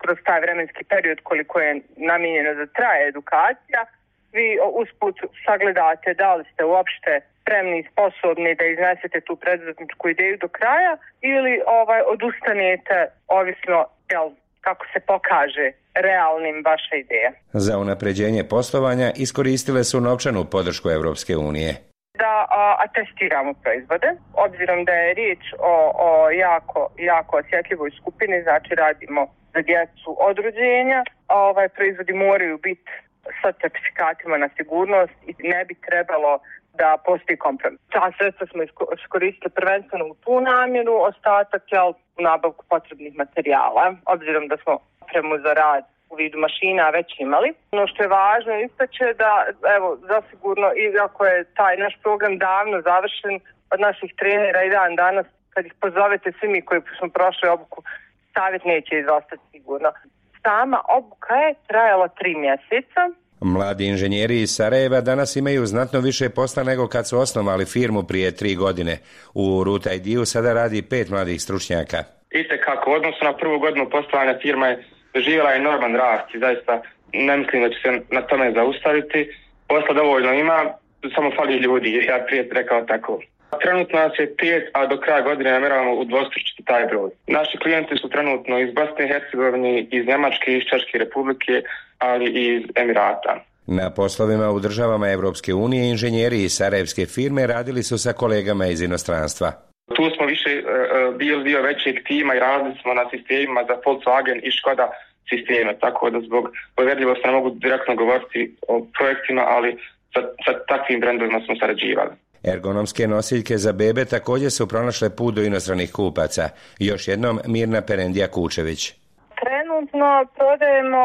kroz taj vremenski period koliko je namijenjeno da traje edukacija, vi usput sagledate da li ste uopšte spremni i sposobni da iznesete tu preduzetničku ideju do kraja ili odustanete ovisno kako se pokaže realnim vaša ideja. Za unapređenje poslovanja iskoristile su novčanu podršku Evropske unije. Da atestiramo proizvode, obzirom da je riječ o jako osjetljivoj skupini, znači radimo za djecu od rođenja, proizvodi moraju biti sa certifikatima na sigurnost i ne bi trebalo da postoji kompromis. Ta sredstva smo iskoristili prvenstveno u tu namjeru, ostatak u nabavku potrebnih materijala, obzirom da smo opremu za rad u vidu mašina već imali. Ono što je važno istaće da, evo, zasigurno, iako je taj naš program davno završen, od naših trenera i dan danas, kad ih pozovete svi mi koji smo prošli obuku, savjet neće izostati sigurno. Sama obuka je trajala 3 mjeseca. Mladi inženjeri iz Sarajeva danas imaju znatno više posla nego kad su osnovali firmu prije 3 godine. U Root ID-u sada radi 5 mladih stručnjaka. Kako u odnosu na prvu godinu poslovanja firma je doživjela enorman rast i zaista ne mislim da će se na tome zaustaviti. Posla dovoljno ima, samo fali ljudi, ja prije rekao tako. Trenutno nas je 5, a do kraja godine namjeravamo udvostručiti taj broj. Naši klijenti su trenutno iz Bosne i Hercegovine, iz Njemačke, iz Češke republike, ali i iz Emirata. Na poslovima u državama Evropske unije inženjeri iz sarajevske firme radili su sa kolegama iz inostranstva. Tu smo više bili dio većeg tima i radili smo na sistemima za Volkswagen i Škoda sisteme, tako da zbog povjerljivosti ne mogu direktno govoriti o projektima, ali sa takvim brendovima smo sarađivali. Ergonomske nosiljke za bebe također su pronašle put do inostranih kupaca. Još jednom Mirna Perendija Kučević. Trenutno prodajemo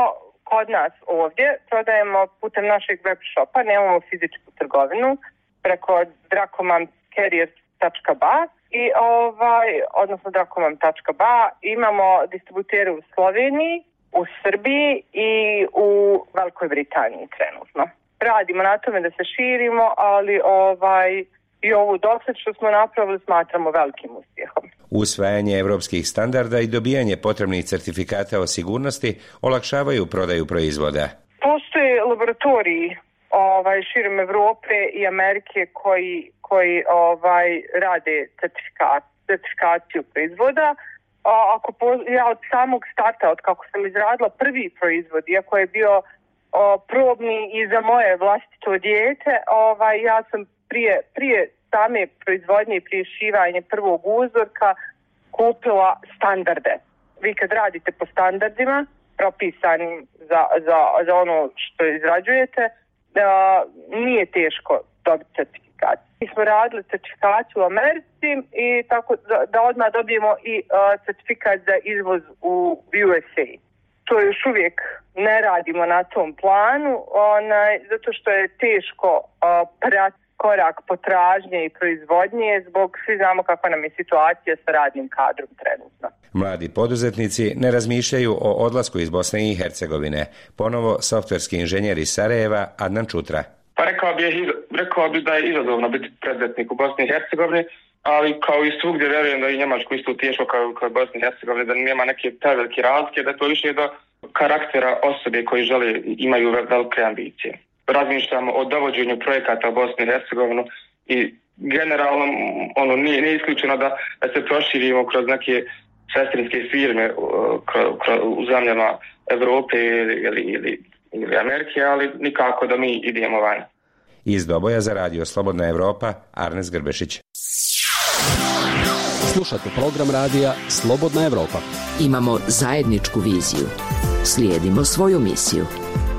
kod nas ovdje, prodajemo putem našeg web shopa, nemamo fizičku trgovinu, preko dracomamcarriers.ba i odnosno dracomam.ba. Imamo distributere u Sloveniji, u Srbiji i u Velikoj Britaniji trenutno. Radimo na tome da se širimo, ali i ovu dosad što smo napravili smatramo velikim uspjehom. Usvajanje evropskih standarda i dobijanje potrebnih certifikata o sigurnosti olakšavaju prodaju proizvoda. Postoje laboratoriji širom Evrope i Amerike koji rade certifikaciju proizvoda. Ja od samog starta, od kako sam izradila prvi proizvod, iako je bio probni i za moje vlastito dijete, ja sam prije same proizvodnje i prije šivanja prvog uzorka kupila standarde. Vi kad radite po standardima propisanim za ono što izrađujete, nije teško dobiti certifikat. Mi smo radili certifikaciju u Americi i tako da odmah dobijemo i certifikat za izvoz u USA. To još uvijek ne radimo na tom planu, zato što je teško pratiti korak potražnje i proizvodnje, zbog svi znamo kakva nam je situacija sa radnim kadrom trenutno. Mladi poduzetnici ne razmišljaju o odlasku iz Bosne i Hercegovine. Ponovo softverski inženjer iz Sarajeva Adnan Čutra. Pa rekao bi da je izazovno biti preduzetnik u Bosni i Hercegovini, ali kao i svugdje vjerujem da i Njemačku isto teško kao i Bosni i Hercegovini, da nema neke prevelike razlike, da je to više do karaktera osobe koji imaju velike ambicije. Razmišljamo o dovođenju projekata u Bosni i Hercegovinu i generalno nije isključeno da se proširimo kroz neke sestrinske firme u zemljama Evrope ili Amerike, ali nikako da mi idemo van. Iz Doboja za radio Slobodna Evropa, Arnes Grbešić. Slušate program radija Slobodna Evropa. Imamo zajedničku viziju. Slijedimo svoju misiju.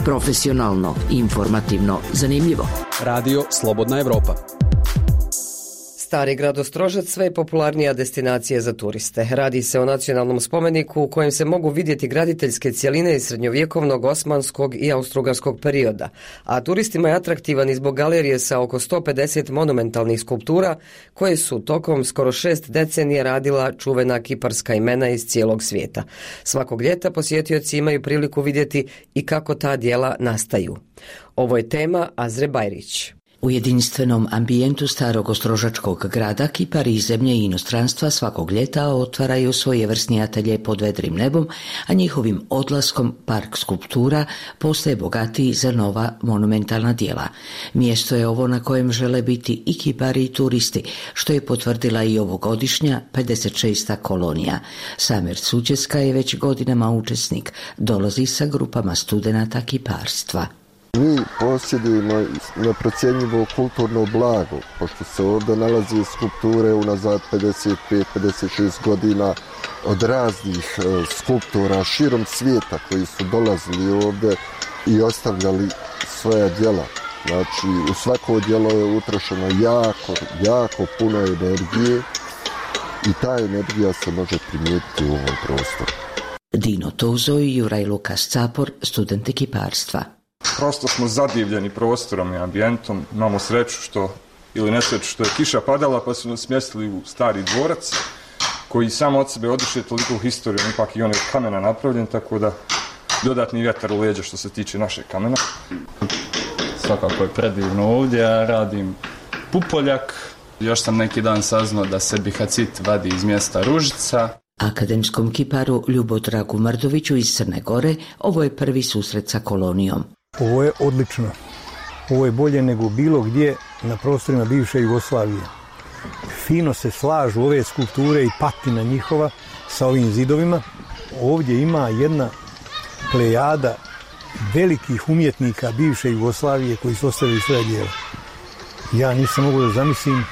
Profesionalno, informativno, zanimljivo. Radio Slobodna Evropa. Stari grad Ostrožac sve je popularnija destinacija za turiste. Radi se o nacionalnom spomeniku u kojem se mogu vidjeti graditeljske cjeline iz srednjovjekovnog, osmanskog i austrougarskog perioda, a turistima je atraktivan i zbog galerije sa oko 150 monumentalnih skulptura koje su tokom skoro 6 decenija radila čuvena kiparska imena iz cijelog svijeta. Svakog ljeta posjetioci imaju priliku vidjeti i kako ta djela nastaju. Ovo je tema Azre Bajrić. U jedinstvenom ambijentu starog ostrožačkog grada kipari iz zemlje i inostranstva svakog ljeta otvaraju svojevrsni atelje pod vedrim nebom, a njihovim odlaskom park skulptura postaje bogatiji za nova monumentalna djela. Mjesto je ovo na kojem žele biti i kipari i turisti, što je potvrdila i ovogodišnja 56. kolonija. Samer Suđeska je već godinama učesnik, dolazi sa grupama studenata kiparstva. Mi posjedujemo neprocjenjivo kulturno blago, pošto se ovdje nalazi skulpture unazad 55-56 godina od raznih skulptora širom svijeta koji su dolazili ovdje i ostavljali svoja djela. Znači, u svako djelo je utrošeno jako puno energije i ta energija se može primijetiti u ovom prostoru. Dino Tozo i Juraj Lukas Capor, studenti kiparstva. Prosto smo zadivljeni prostorom i ambijentom, imamo sreću ili nesreću što je kiša padala pa su nas smjestili u stari dvorac koji samo od sebe odiše toliko u historiju, ipak i on je od kamena napravljen, tako da dodatni vjetar u leđa što se tiče našeg kamena. Svakako je predivno ovdje, ja radim pupoljak, još sam neki dan saznao da se bihacit vadi iz mjesta Ružica. Akademskom kiparu Ljubodragu Mrdoviću iz Crne Gore ovo je prvi susret sa kolonijom. Ovo je odlično. Ovo je bolje nego bilo gdje na prostorima bivše Jugoslavije. Fino se slažu ove skulpture i patina njihova sa ovim zidovima. Ovdje ima jedna plejada velikih umjetnika bivše Jugoslavije koji su ostavili svoje djela. Ja nisam mogao da zamislim,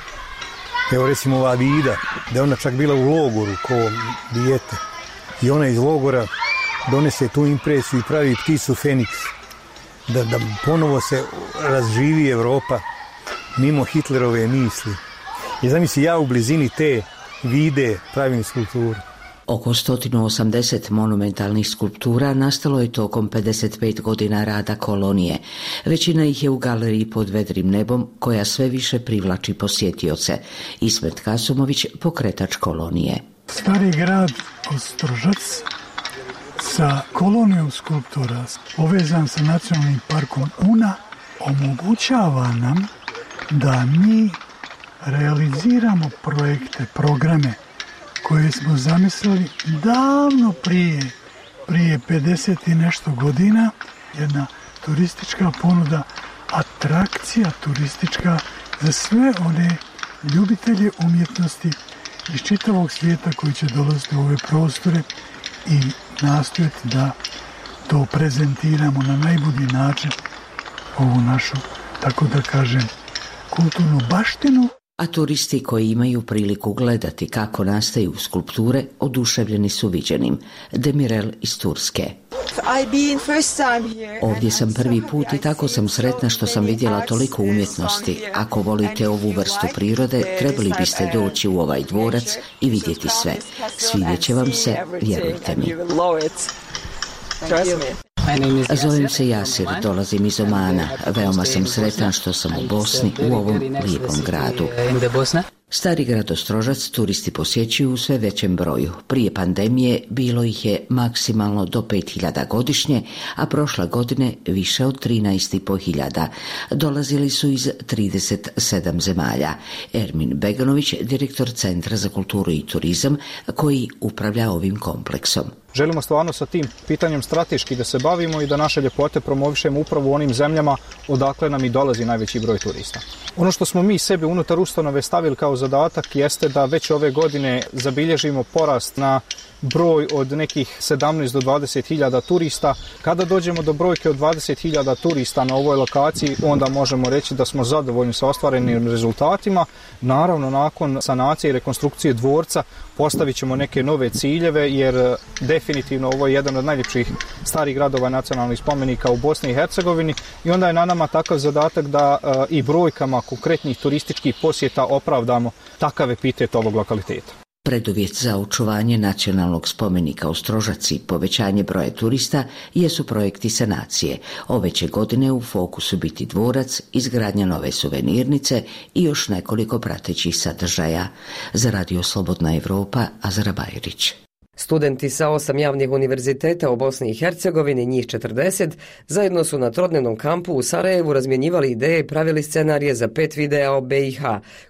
evo recimo ova Vida, da je ona čak bila u logoru ko dijete. I ona iz logora donese tu impresiju i pravi pticu Feniks. Da ponovo se razživi Evropa mimo Hitlerove misli. I zamisli, ja u blizini te Vide pravim skulpturu. Oko 180 monumentalnih skulptura nastalo je tokom 55 godina rada kolonije. Većina ih je u galeriji pod vedrim nebom, koja sve više privlači posjetioce. Ismet Kasumović, pokretač kolonije. Stari grad Ostrožac sa kolonijom skulptura povezan sa nacionalnim parkom Una omogućava nam da mi realiziramo projekte, programe koje smo zamislili davno prije 50 i nešto godina. Jedna turistička ponuda, atrakcija turistička za sve one ljubitelje umjetnosti iz čitavog svijeta koji će dolaziti u ove prostore i nastojati da to prezentiramo na najbolji način, ovu našu, tako da kažem, kulturnu baštinu. A turisti koji imaju priliku gledati kako nastaju skulpture oduševljeni su viđenim. Demirel iz Turske. Ovdje sam prvi put i tako sam sretna što sam vidjela toliko umjetnosti. Ako volite ovu vrstu prirode, trebali biste doći u ovaj dvorac i vidjeti sve. Svidjet će vam se, vjerujte mi. Zovem se Jasir, dolazim iz Omana. Veoma sam sretan što sam u Bosni, u ovom lijepom gradu. Stari grad Ostrožac turisti posjećuju u sve većem broju. Prije pandemije bilo ih je maksimalno do 5.000 godišnje, a prošle godine više od 13.500. Dolazili su iz 37 zemalja. Ermin Beganović, direktor Centra za kulturu i turizam, koji upravlja ovim kompleksom. Želimo stvarno sa tim pitanjem strateški da se bavimo i da naše ljepote promovišemo upravo u onim zemljama odakle nam i dolazi najveći broj turista. Ono što smo mi sebi unutar ustanove stavili kao zadatak jeste da već ove godine zabilježimo porast na broj od nekih 17 do 20.000 turista. Kada dođemo do brojke od 20.000 turista na ovoj lokaciji, onda možemo reći da smo zadovoljni sa ostvarenim rezultatima. Naravno, nakon sanacije i rekonstrukcije dvorca postavit ćemo neke nove ciljeve, jer definitivno ovo je jedan od najljepših starih gradova nacionalnih spomenika u Bosni i Hercegovini i onda je na nama takav zadatak da i brojkama konkretnih turističkih posjeta opravdamo takav epitet ovog lokaliteta. Preduvjet za očuvanje nacionalnog spomenika Ostrožac i povećanje broja turista jesu projekti sanacije. Ove će godine u fokusu biti dvorac, izgradnja nove suvenirnice i još nekoliko pratećih sadržaja. Za Radio Slobodna Evropa, Azra Bajrić. Studenti sa 8 javnih univerziteta u Bosni i Hercegovini, njih 40, zajedno su na trodnevnom kampu u Sarajevu razmjenjivali ideje i pravili scenarije za 5 videa o BiH,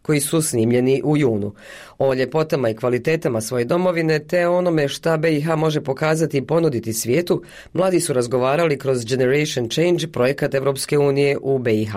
koji su snimljeni u junu. O ljepotama i kvalitetama svoje domovine te onome šta BiH može pokazati i ponuditi svijetu, mladi su razgovarali kroz Generation Change, projekat Evropske unije u BiH.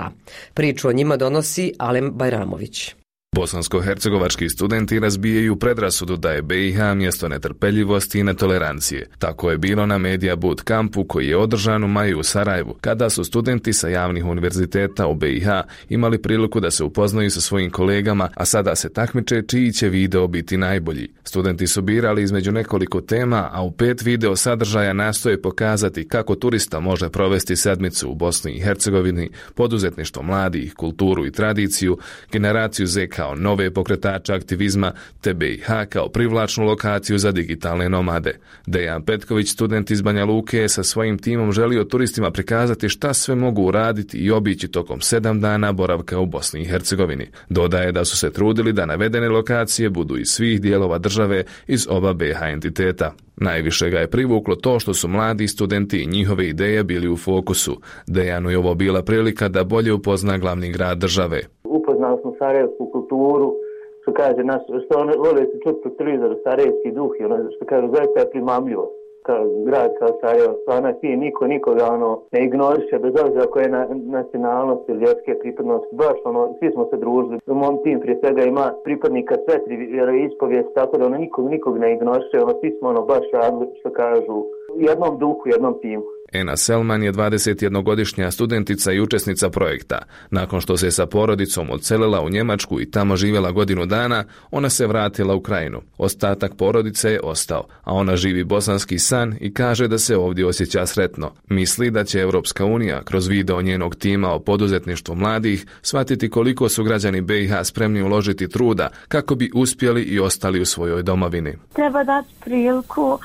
Priču o njima donosi Alem Bajramović. Bosansko-hercegovački studenti razbijaju predrasudu da je BiH mjesto netrpeljivosti i netolerancije. Tako je bilo na Media Boot kampu koji je održan u maju u Sarajevu, kada su studenti sa javnih univerziteta u BiH imali priliku da se upoznaju sa svojim kolegama, a sada se takmiče čiji će video biti najbolji. Studenti su birali između nekoliko tema, a u 5 video sadržaja nastoje pokazati kako turista može provesti sedmicu u Bosni i Hercegovini, poduzetništvo mladih, kulturu i tradiciju, generaciju Z kao kao nove pokretače aktivizma te BiH kao privlačnu lokaciju za digitalne nomade. Dejan Petković, student iz Banja Luke, je sa svojim timom želio turistima prikazati šta sve mogu uraditi i obići tokom 7 dana boravka u Bosni i Hercegovini. Dodaje da su se trudili da navedene lokacije budu iz svih dijelova države iz oba BiH entiteta. Najviše ga je privuklo to što su mladi studenti i njihove ideje bili u fokusu. Dejanu je ovo bila prilika da bolje upozna glavni grad države. Upoznali smo sarajevsku kulturu, što kaže nas, što oni vole se čuti po televizoru, sarajevski duh i ono što kaže zaista je primamljivo. Kao grad kao Sarajevo, stvarno je fin, nikoga ne ignoriše, bez obzira koje je nacionalnost ili vjerske pripadnosti, baš svi smo se družili. Mom tim prije svega ima pripadnika sve 3 vjeroispovijesti, tako da nikog ne ignoriše, svi smo baš radili, što kažu, u jednom duhu, u jednom timu. Ena Selman je 21-godišnja studentica i učesnica projekta. Nakon što se sa porodicom odselila u Njemačku i tamo živjela godinu dana, ona se vratila u Krajinu. Ostatak porodice je ostao, a ona živi bosanski san i kaže da se ovdje osjeća sretno. Misli da će Europska unija kroz video njenog tima o poduzetništvu mladih shvatiti koliko su građani BiH spremni uložiti truda kako bi uspjeli i ostali u svojoj domovini. Treba dati priliku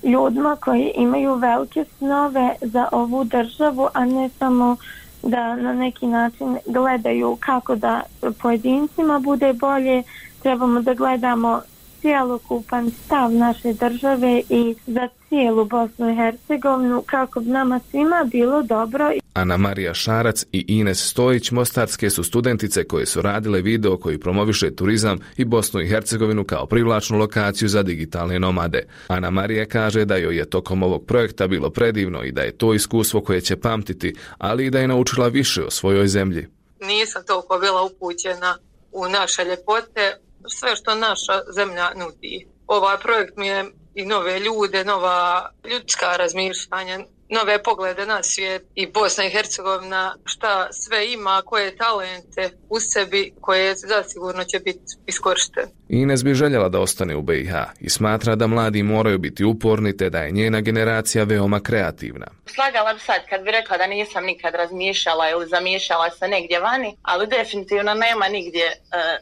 ljudima koji imaju velike snove za ovu državu, a ne samo da na neki način gledaju kako da pojedincima bude bolje. Trebamo da gledamo cjelokupan stav naše države i za cijelu Bosnu i Hercegovinu kako bi nama svima bilo dobro. Ana Marija Šarac i Ines Stojić mostarske su studentice koje su radile video koji promoviše turizam i Bosnu i Hercegovinu kao privlačnu lokaciju za digitalne nomade. Ana Marija kaže da joj je tokom ovog projekta bilo predivno i da je to iskustvo koje će pamtiti, ali i da je naučila više o svojoj zemlji. Nisam toliko bila upućena u naše ljepote, sve što naša zemlja nudi. Ovaj projekt mi je i nove ljude, nova ljudska razmišljanja, nove poglede na svijet i Bosna i Hercegovina šta sve ima, koje talente u sebi koje zasigurno će biti iskorištene. Ines bi željela da ostane u BiH i smatra da mladi moraju biti uporni te da je njena generacija veoma kreativna. Slagala bi sad kad bi rekla da nisam nikad razmišljala ili zamišljala se negdje vani, ali definitivno nema nigdje,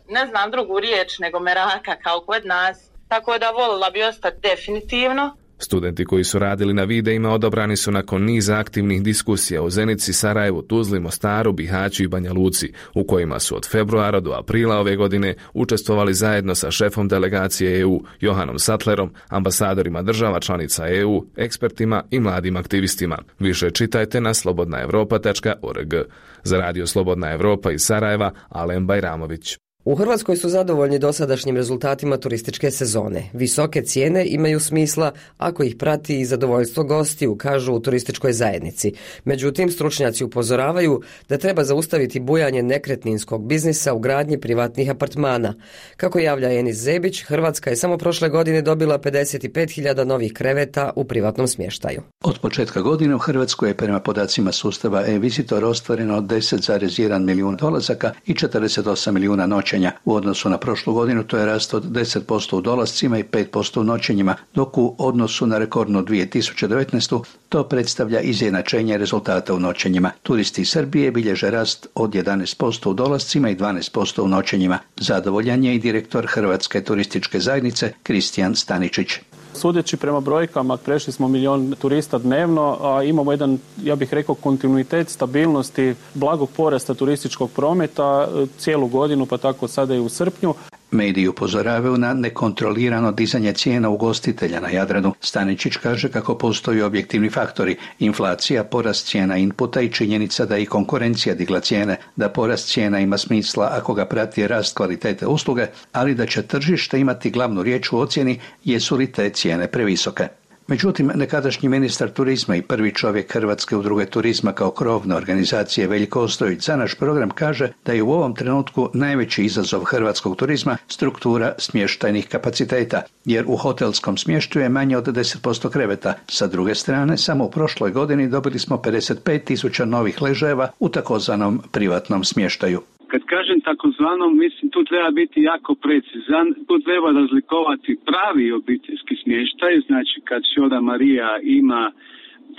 ne znam drugu riječ nego meraka kao kod nas, tako da volila bi ostati definitivno. Studenti koji su radili na videima odabrani su nakon niza aktivnih diskusija u Zenici, Sarajevu, Tuzli, Mostaru, Bihaću i Banja Luci, u kojima su od februara do aprila ove godine učestvovali zajedno sa šefom delegacije EU Johanom Sattlerom, ambasadorima država članica EU, ekspertima i mladim aktivistima. Više čitajte na slobodnaevropa.org. Za radio Slobodna Evropa iz Sarajeva, Alen Bajramović. U Hrvatskoj su zadovoljni dosadašnjim rezultatima turističke sezone. Visoke cijene imaju smisla ako ih prati i zadovoljstvo gostiju, kažu u turističkoj zajednici. Međutim, stručnjaci upozoravaju da treba zaustaviti bujanje nekretninskog biznisa u gradnji privatnih apartmana. Kako javlja Enis Zebić, Hrvatska je samo prošle godine dobila 55.000 novih kreveta u privatnom smještaju. Od početka godine u Hrvatskoj je prema podacima sustava e-Visitor ostvareno 10,1 milijun dolazaka i 48 milijuna noćenja. U odnosu na prošlu godinu to je rast od 10% u dolascima i 5% u noćenjima, dok u odnosu na rekordnu 2019. to predstavlja izjednačenje rezultata u noćenjima. Turisti iz Srbije bilježe rast od 11% u dolascima i 12% u noćenjima. Zadovoljan je i direktor Hrvatske turističke zajednice Kristijan Staničić. Sudeći prema brojkama, prešli smo 1 milion turista dnevno, a imamo jedan, ja bih rekao, kontinuitet stabilnosti, blagog porasta turističkog prometa cijelu godinu, pa tako sada i u srpnju. Mediji upozoravaju na nekontrolirano dizanje cijena ugostitelja na Jadranu. Staničić kaže kako postoji objektivni faktori, inflacija, porast cijena inputa i činjenica da i konkurencija digla cijene, da porast cijena ima smisla ako ga prati rast kvalitete usluge, ali da će tržište imati glavnu riječ u ocjeni jesu li te cijene previsoke. Međutim, nekadašnji ministar turizma i prvi čovjek Hrvatske udruge turizma kao krovne organizacije Veljko Ostojić za naš program kaže da je u ovom trenutku najveći izazov hrvatskog turizma struktura smještajnih kapaciteta, jer u hotelskom smještaju je manje od 10% kreveta. Sa druge strane, samo u prošloj godini dobili smo 55.000 novih ležajeva u takozvanom privatnom smještaju. Kad kažem takozvanom, mislim tu treba biti jako precizan, tu treba razlikovati pravi obiteljski smještaj, znači kad Šoda Marija ima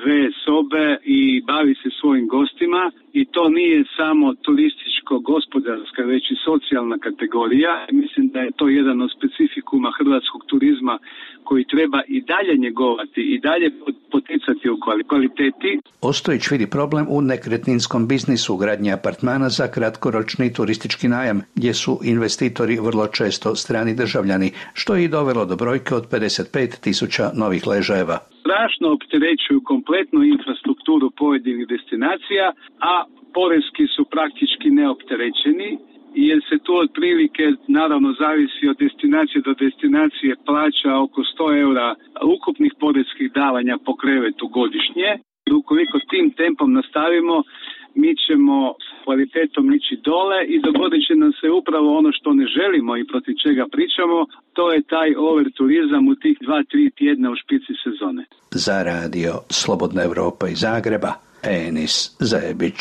2 sobe i bavi se svojim gostima i to nije samo turističko-gospodarska, već i socijalna kategorija. Mislim da je to jedan od specifikuma hrvatskog turizma koji treba i dalje njegovati i dalje poticati u kvaliteti. Ostojić vidi problem u nekretninskom biznisu gradnje apartmana za kratkoročni turistički najam, gdje su investitori vrlo često strani državljani, što je i dovelo do brojke od 55.000 novih ležajeva. Strašno opterećuju kompletnu infrastrukturu pojedinih destinacija, a porezki su praktički neopterećeni, jer se tu otprilike, naravno zavisi od destinacije do destinacije, plaća oko 100 eura ukupnih porezkih davanja po krevetu godišnje. Ukoliko tim tempom nastavimo, mi ćemo s kvalitetom ići dole i dogodit će nam se upravo ono što ne želimo i protiv čega pričamo, to je taj overturizam u tih 2-3 tjedna u špici sezone. Za radio Slobodna Evropa iz Zagreba, Enis Zajebić.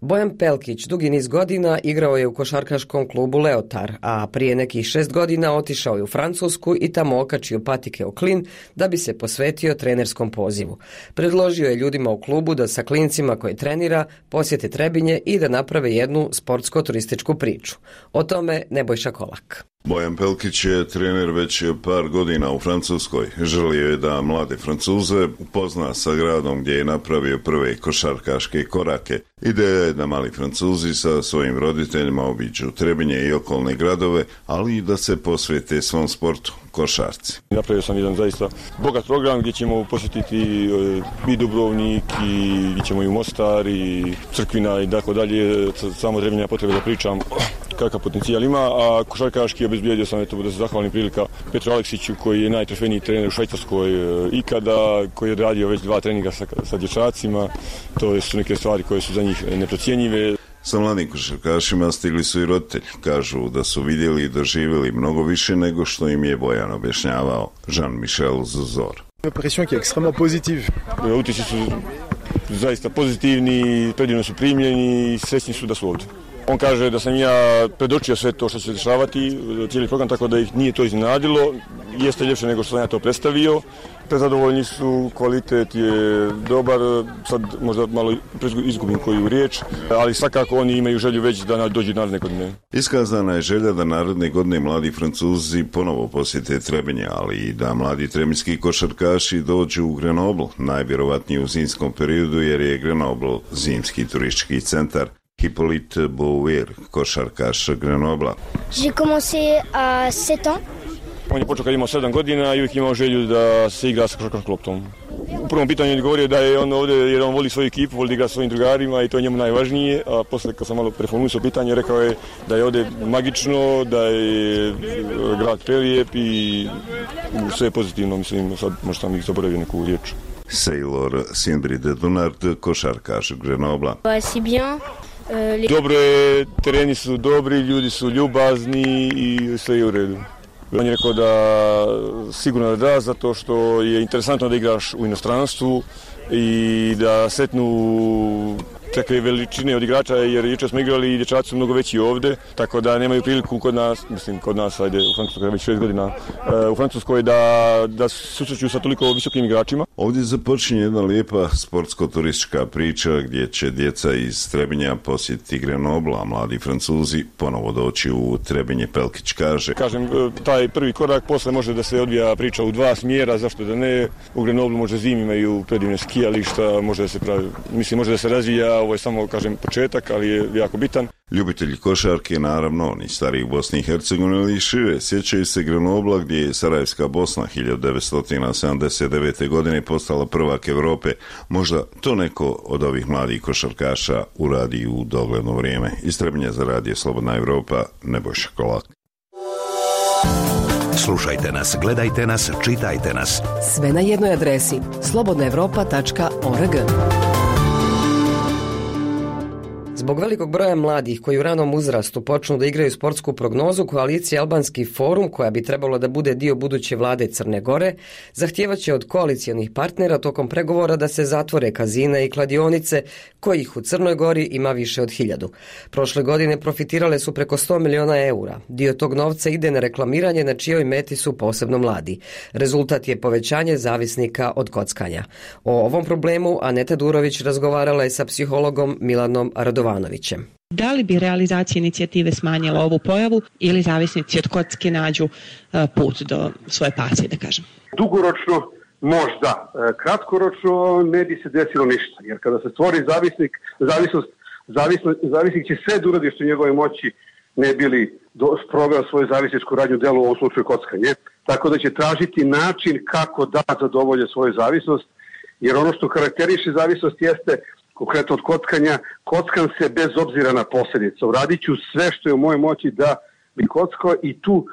Bojan Pelkić dugi niz godina igrao je u košarkaškom klubu Leotar, a prije nekih 6 godina otišao je u Francusku i tamo okačio patike o klin da bi se posvetio trenerskom pozivu. Predložio je ljudima u klubu da sa klincima koje trenira posjete Trebinje i da naprave jednu sportsko-turističku priču. O tome Nebojša Kolak. Bojan Pelkić je trener već par godina u Francuskoj. Želio je da mlade Francuze upozna sa gradom gdje je napravio prve košarkaške korake. Ideja je da mali Francuzi sa svojim roditeljima obiđu Trebinje i okolne gradove, ali i da se posvete svom sportu, košarci. Napravio sam jedan zaista bogat program gdje ćemo posjetiti i Dubrovnik, i gdje ćemo i u Mostar, i Crkvina i tako dalje. Samo Trebinja potrebe da pričam kakav potencijal ima, a košarkaški obezbijedio sam da se zahvalim prilika Petru Aleksiću koji je najtrofejniji trener u Švajcarskoj ikada, koji je radio već 2 treninga sa dječacima. To su neke stvari koje su za njih neprocjenjive. Sa mladim košarkašima stigli su i roditelji. Kažu da su vidjeli i doživjeli mnogo više nego što im je Bojan objašnjavao. Jean-Michel Zuzor. Impression qui est extrêmement positive. Utisci su zaista pozitivni, predivno su primljeni i srećni su da su ovdje. On kaže da sam ja predočio sve to što će se dešavati, cijeli program, tako da ih nije to iznenadilo. Jeste ljepše nego što sam ja to predstavio. Prezadovoljni su, kvalitet je dobar, sad možda malo izgubim koju riječ, ali svakako oni imaju želju već da dođu naredne godine. Iskazana je želja da naredne godine mladi Francuzi ponovo posjete Trebinje, ali i da mladi trebinjski košarkaši dođu u Grenoble, najvjerovatnije u zimskom periodu jer je Grenoble zimski turistički centar. Hippolyte Bouvier, košarkaš Grenobla. J'ai commencé à 7 ans. On je počeo kad imao 7 godina i uvijek imao želju da se igra sa košarkaškom loptom. U prvom pitanju je govorio da je on ovdje jer on voli svoju ekipu, voli da igra sa svojim drugarima i to je njemu najvažnije, a poslije kad sam malo preformulisao pitanje rekao je da je ovdje magično, da je grad prelijep i sve je pozitivno, mislim, sad možda sam ih zaboravio neku riječ. Sailor Sindri de Dunard, košarkaš Grenobla. C'est bien. Dobro je, tereni su dobri, ljudi su ljubazni i sve je u redu. On je rekao da sigurno da, zato što je interesantno da igraš u inostranstvu i da setnu takve veličine od igrača, jer jučer smo igrali i dječaci su mnogo veći ovdje, tako da nemaju priliku kod nas, ajde, u Francuskoj već 6 godina, u Francuskoj da susreću sa toliko visokim igračima. Ovdje započinje jedna lijepa sportsko-turistička priča gdje će djeca iz Trebinja posjetiti Grenoble, a mladi Francuzi ponovo doći u Trebinje, Pelkić kaže. Kažem, taj prvi korak, posle može da se odvija priča u 2 smjera, zašto da ne, u Grenoble može zimi imaju predivne skijališta, može da se pravi, mislim, može da se razvija. Ovo je samo, kažem, početak, ali je jako bitan. Ljubitelji košarke, naravno, oni stari u Bosni i Hercegovini ili šire, sjećaju se Grenobla gdje je Sarajevska Bosna 1979. godine postala prvak Europe. Možda to neko od ovih mladih košarkaša uradi u dogledno vrijeme. Iz Trebinja za radio Slobodna Evropa, Nebojša Kolak. Slušajte nas, gledajte nas, čitajte nas. Sve na jednoj adresi slobodnaevropa.org. Zbog velikog broja mladih koji u ranom uzrastu počnu da igraju sportsku prognozu, koalicija Albanski forum, koja bi trebalo da bude dio buduće vlade Crne Gore, zahtijevaće od koalicijonih partnera tokom pregovora da se zatvore kazine i kladionice, kojih u Crnoj Gori ima više od 1000. Prošle godine profitirale su preko 100 miliona eura. Dio tog novca ide na reklamiranje na čijoj meti su posebno mladi. Rezultat je povećanje zavisnika od kockanja. O ovom problemu Aneta Durović razgovarala je sa psihologom Milanom Radovanovićem. Da li bi realizacija inicijative smanjila ovu pojavu ili zavisnici od kocke nađu put do svoje pasije, da kažem? Dugoročno možda, kratkoročno ne bi se desilo ništa, jer kada se stvori zavisnik će sve da uradi što njegove moći ne bili sproveo svoju zavisničku radnju delu, u ovom slučaju kockanje, tako da će tražiti način kako da zadovolje svoju zavisnost, jer ono što karakteriše zavisnost jeste, konkretno od kockanja, kockam se bez obzira na posljedice. Uradit ću sve što je u mojoj moći da bi kockao i tu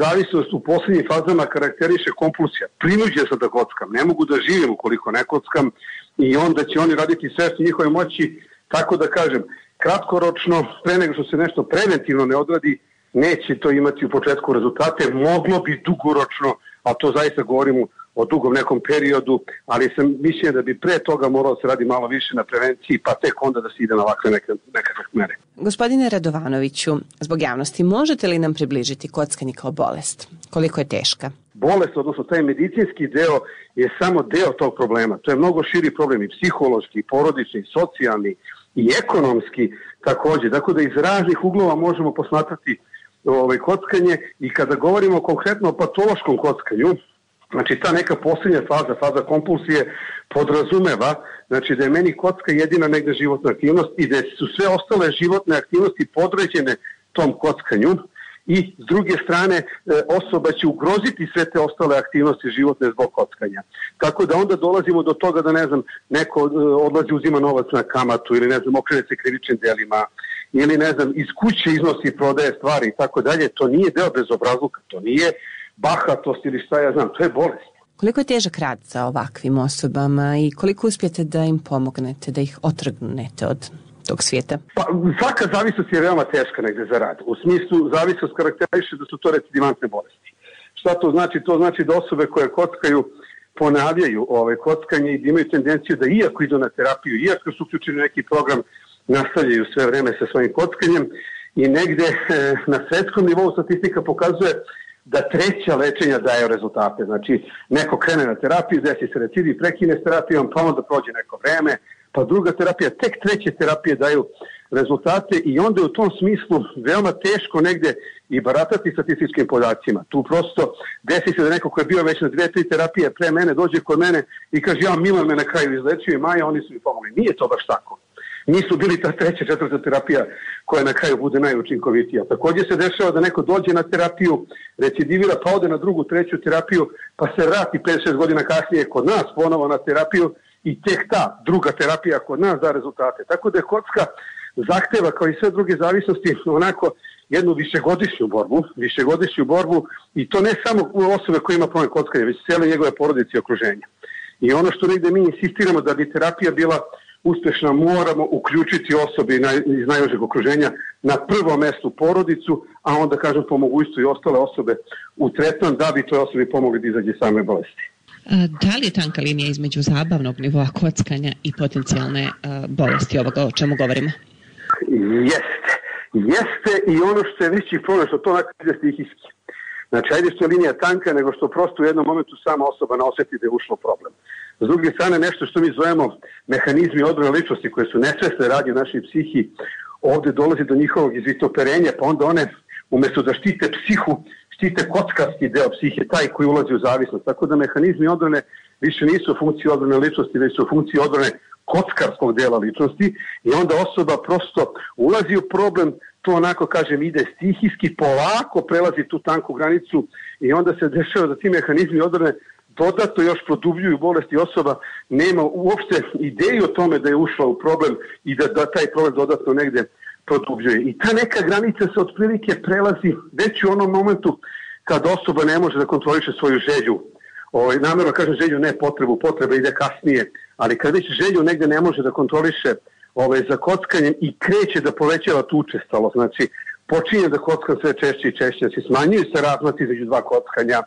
zavisnost u posljednjim fazama karakteriše kompulsija. Prinuđen sam da kockam, ne mogu da živim ukoliko ne kockam i onda će oni raditi sve što njihove moći, tako da kažem, kratkoročno, pre nego što se nešto preventivno ne odradi, neće to imati u početku rezultate, moglo bi dugoročno, a to zaista govorimo o dugom nekom periodu, ali sam mišljen da bi pre toga moralo se radi malo više na prevenciji, pa tek onda da se ide na ovakve nekakve mere. Gospodine Radovanoviću, zbog javnosti, možete li nam približiti kockanje kao bolest? Koliko je teška? Bolest, odnosno taj medicinski deo, je samo deo tog problema. To je mnogo širi problem i psihološki, i porodični, i socijalni, i ekonomski također. Tako da iz raznih uglova možemo posmatrati kockanje i kada govorimo konkretno o patološkom kockanju, znači ta neka posljednja faza kompulsije podrazumeva, znači da je meni kocka jedina negdje životna aktivnost i da su sve ostale životne aktivnosti podređene tom kockanju i s druge strane osoba će ugroziti sve te ostale aktivnosti životne zbog kockanja. Tako da onda dolazimo do toga da neko odlazi uzima novac na kamatu ili okrene se krivičnim delima ili iz kuće iznosi i prodaje stvari i tako dalje. To nije deo bezobrazluka, to nije bahatost ili šta ja znam, to je bolest. Koliko je težak rad za ovakvim osobama i koliko uspijete da im pomognete, da ih otrgnete od tog svijeta? Pa, svaka zavisnost je veoma teška negdje za rad. U smislu zavisnost karakteriše da su to recidivantne bolesti. Šta to znači? To znači da osobe koje kockaju ponavljaju kockanje i da imaju tendenciju da iako idu na terapiju, iako su uključeni neki program, nastavljaju sve vreme sa svojim kockanjem i negdje na svetskom nivou statistika pokazuje da treća lečenja daju rezultate. Znači, neko krene na terapiju, desi se recidiv, prekine s terapijom, pa onda prođe neko vreme, pa druga terapija, tek treće terapije daju rezultate i onda je u tom smislu veoma teško negdje i baratati statističkim podacima. Tu prosto desi se da neko ko je bio već na 2-3 terapije pre mene, dođe kod mene i kaže ja Milan me na kraju izlečio i Maja, oni su mi pomogli. Nije to baš tako. Nisu bili ta 3., 4. terapija koja na kraju bude najučinkovitija. Također se dešava da neko dođe na terapiju, recidivira, pa ode na 2., 3. terapiju, pa se vrati 5-6 godina kasnije kod nas ponovo na terapiju i tek ta druga terapija kod nas da rezultate. Tako da je kocka zahteva kao i sve druge zavisnosti onako jednu višegodišnju borbu i to ne samo osobe koje ima problem kockanja, već cijele njegove porodice i okruženja. I ono što negdje mi insistiramo da bi terapija bila uspješna, moramo uključiti osobe iz najužeg okruženja na prvom mjestu porodicu, a onda po mogućstvu i ostale osobe u tretman da bi toj osobi pomogli da izađe same bolesti. Da li je tanka linija između zabavnog nivoa kockanja i potencijalne bolesti ovoga o čemu govorimo? Jeste i ono što je veći problem, što to onako ide stihijski. Znači, ajde što je linija tanka, nego što prosto u jednom momentu sama osoba osjeti da je ušlo problem. S druge strane, nešto što mi zovemo mehanizmi odbrane ličnosti koje su nesvesne radnje našoj psihi, ovdje dolazi do njihovog izvitoperenja, pa onda one, umjesto da štite psihu, štite kockarski deo psihe, taj koji ulazi u zavisnost. Tako da mehanizmi odbrane više nisu u funkciji odbrane ličnosti, već su u funkciji odbrane kockarskog dela ličnosti i onda osoba prosto ulazi u problem, to onako ide stihijski, polako prelazi tu tanku granicu i onda se dešava da ti mehanizmi odbrane dodatno još produbljuju bolesti, osoba nema uopšte ideju o tome da je ušla u problem i da taj problem dodatno negdje produbljuje. I ta neka granica se otprilike prelazi već u onom momentu kad osoba ne može da kontroliše svoju želju. Namjerno kažem želju, ne potrebu, potreba ide kasnije, ali kad već želju negdje ne može da kontroliše, za kockanjem i kreće da povećava tu učestalost. Znači, počinje da kockam sve češće i češće, znači smanjuju se razmaci između dva kockanja,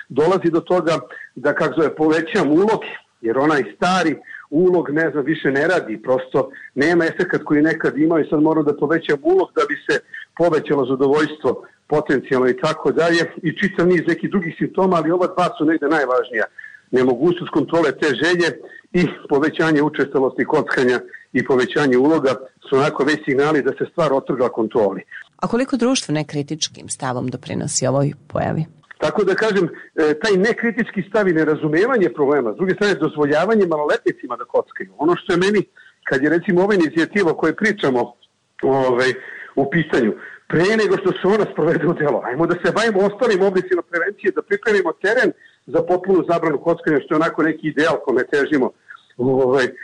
dolazi do toga da, povećam ulog, jer onaj stari ulog, više ne radi, prosto nema efekat koji nekad imao i sad moram da povećam ulog da bi se povećalo zadovoljstvo potencijalno i tako dalje i čitav niz nekih drugih simptoma, ali ova dva su negde najvažnija. Nemogućnost kontrole te želje i povećanje učestalosti kockanja i povećanje uloga su onako već signali da se stvar otrgla kontroli. A koliko društvo nekritičkim stavom doprinosi ovoj pojavi? Tako da kažem, taj nekritički stav i nerazumevanje problema, s druge strane dozvoljavanje maloletnicima da kockaju. Ono što je meni, kad je recimo ova inicijativa o kojoj pričamo u pitanju, pre nego što se ona sprovede u delo, ajmo da se bavimo ostalim oblicima prevencije, da pripremimo teren za potpunu zabranu kockanja, što je onako neki ideal kome težimo,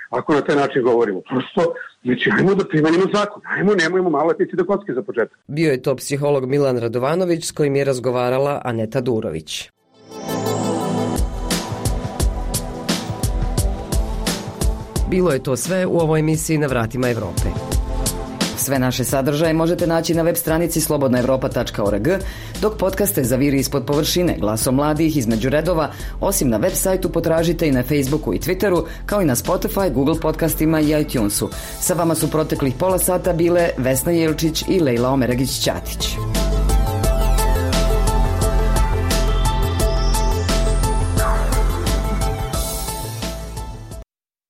ako na taj način govorimo. Prosto, znači, ajmo da primenimo zakon, nemojmo maloletnici da kockaju za početak. Bio je to psiholog Milan Radovanović s kojim je razgovarala Aneta Durović. Bilo je to sve u ovoj emisiji Na vratima Evrope. Sve naše sadržaje možete naći na web stranici slobodnaevropa.org, dok podcaste Zaviri ispod površine, Glasom mladih, Između redova, osim na web sajtu potražite i na Facebooku i Twitteru, kao i na Spotify, Google podcastima i iTunesu. Sa vama su proteklih pola sata bile Vesna Jelčić i Lejla Omeragić-Ćatić.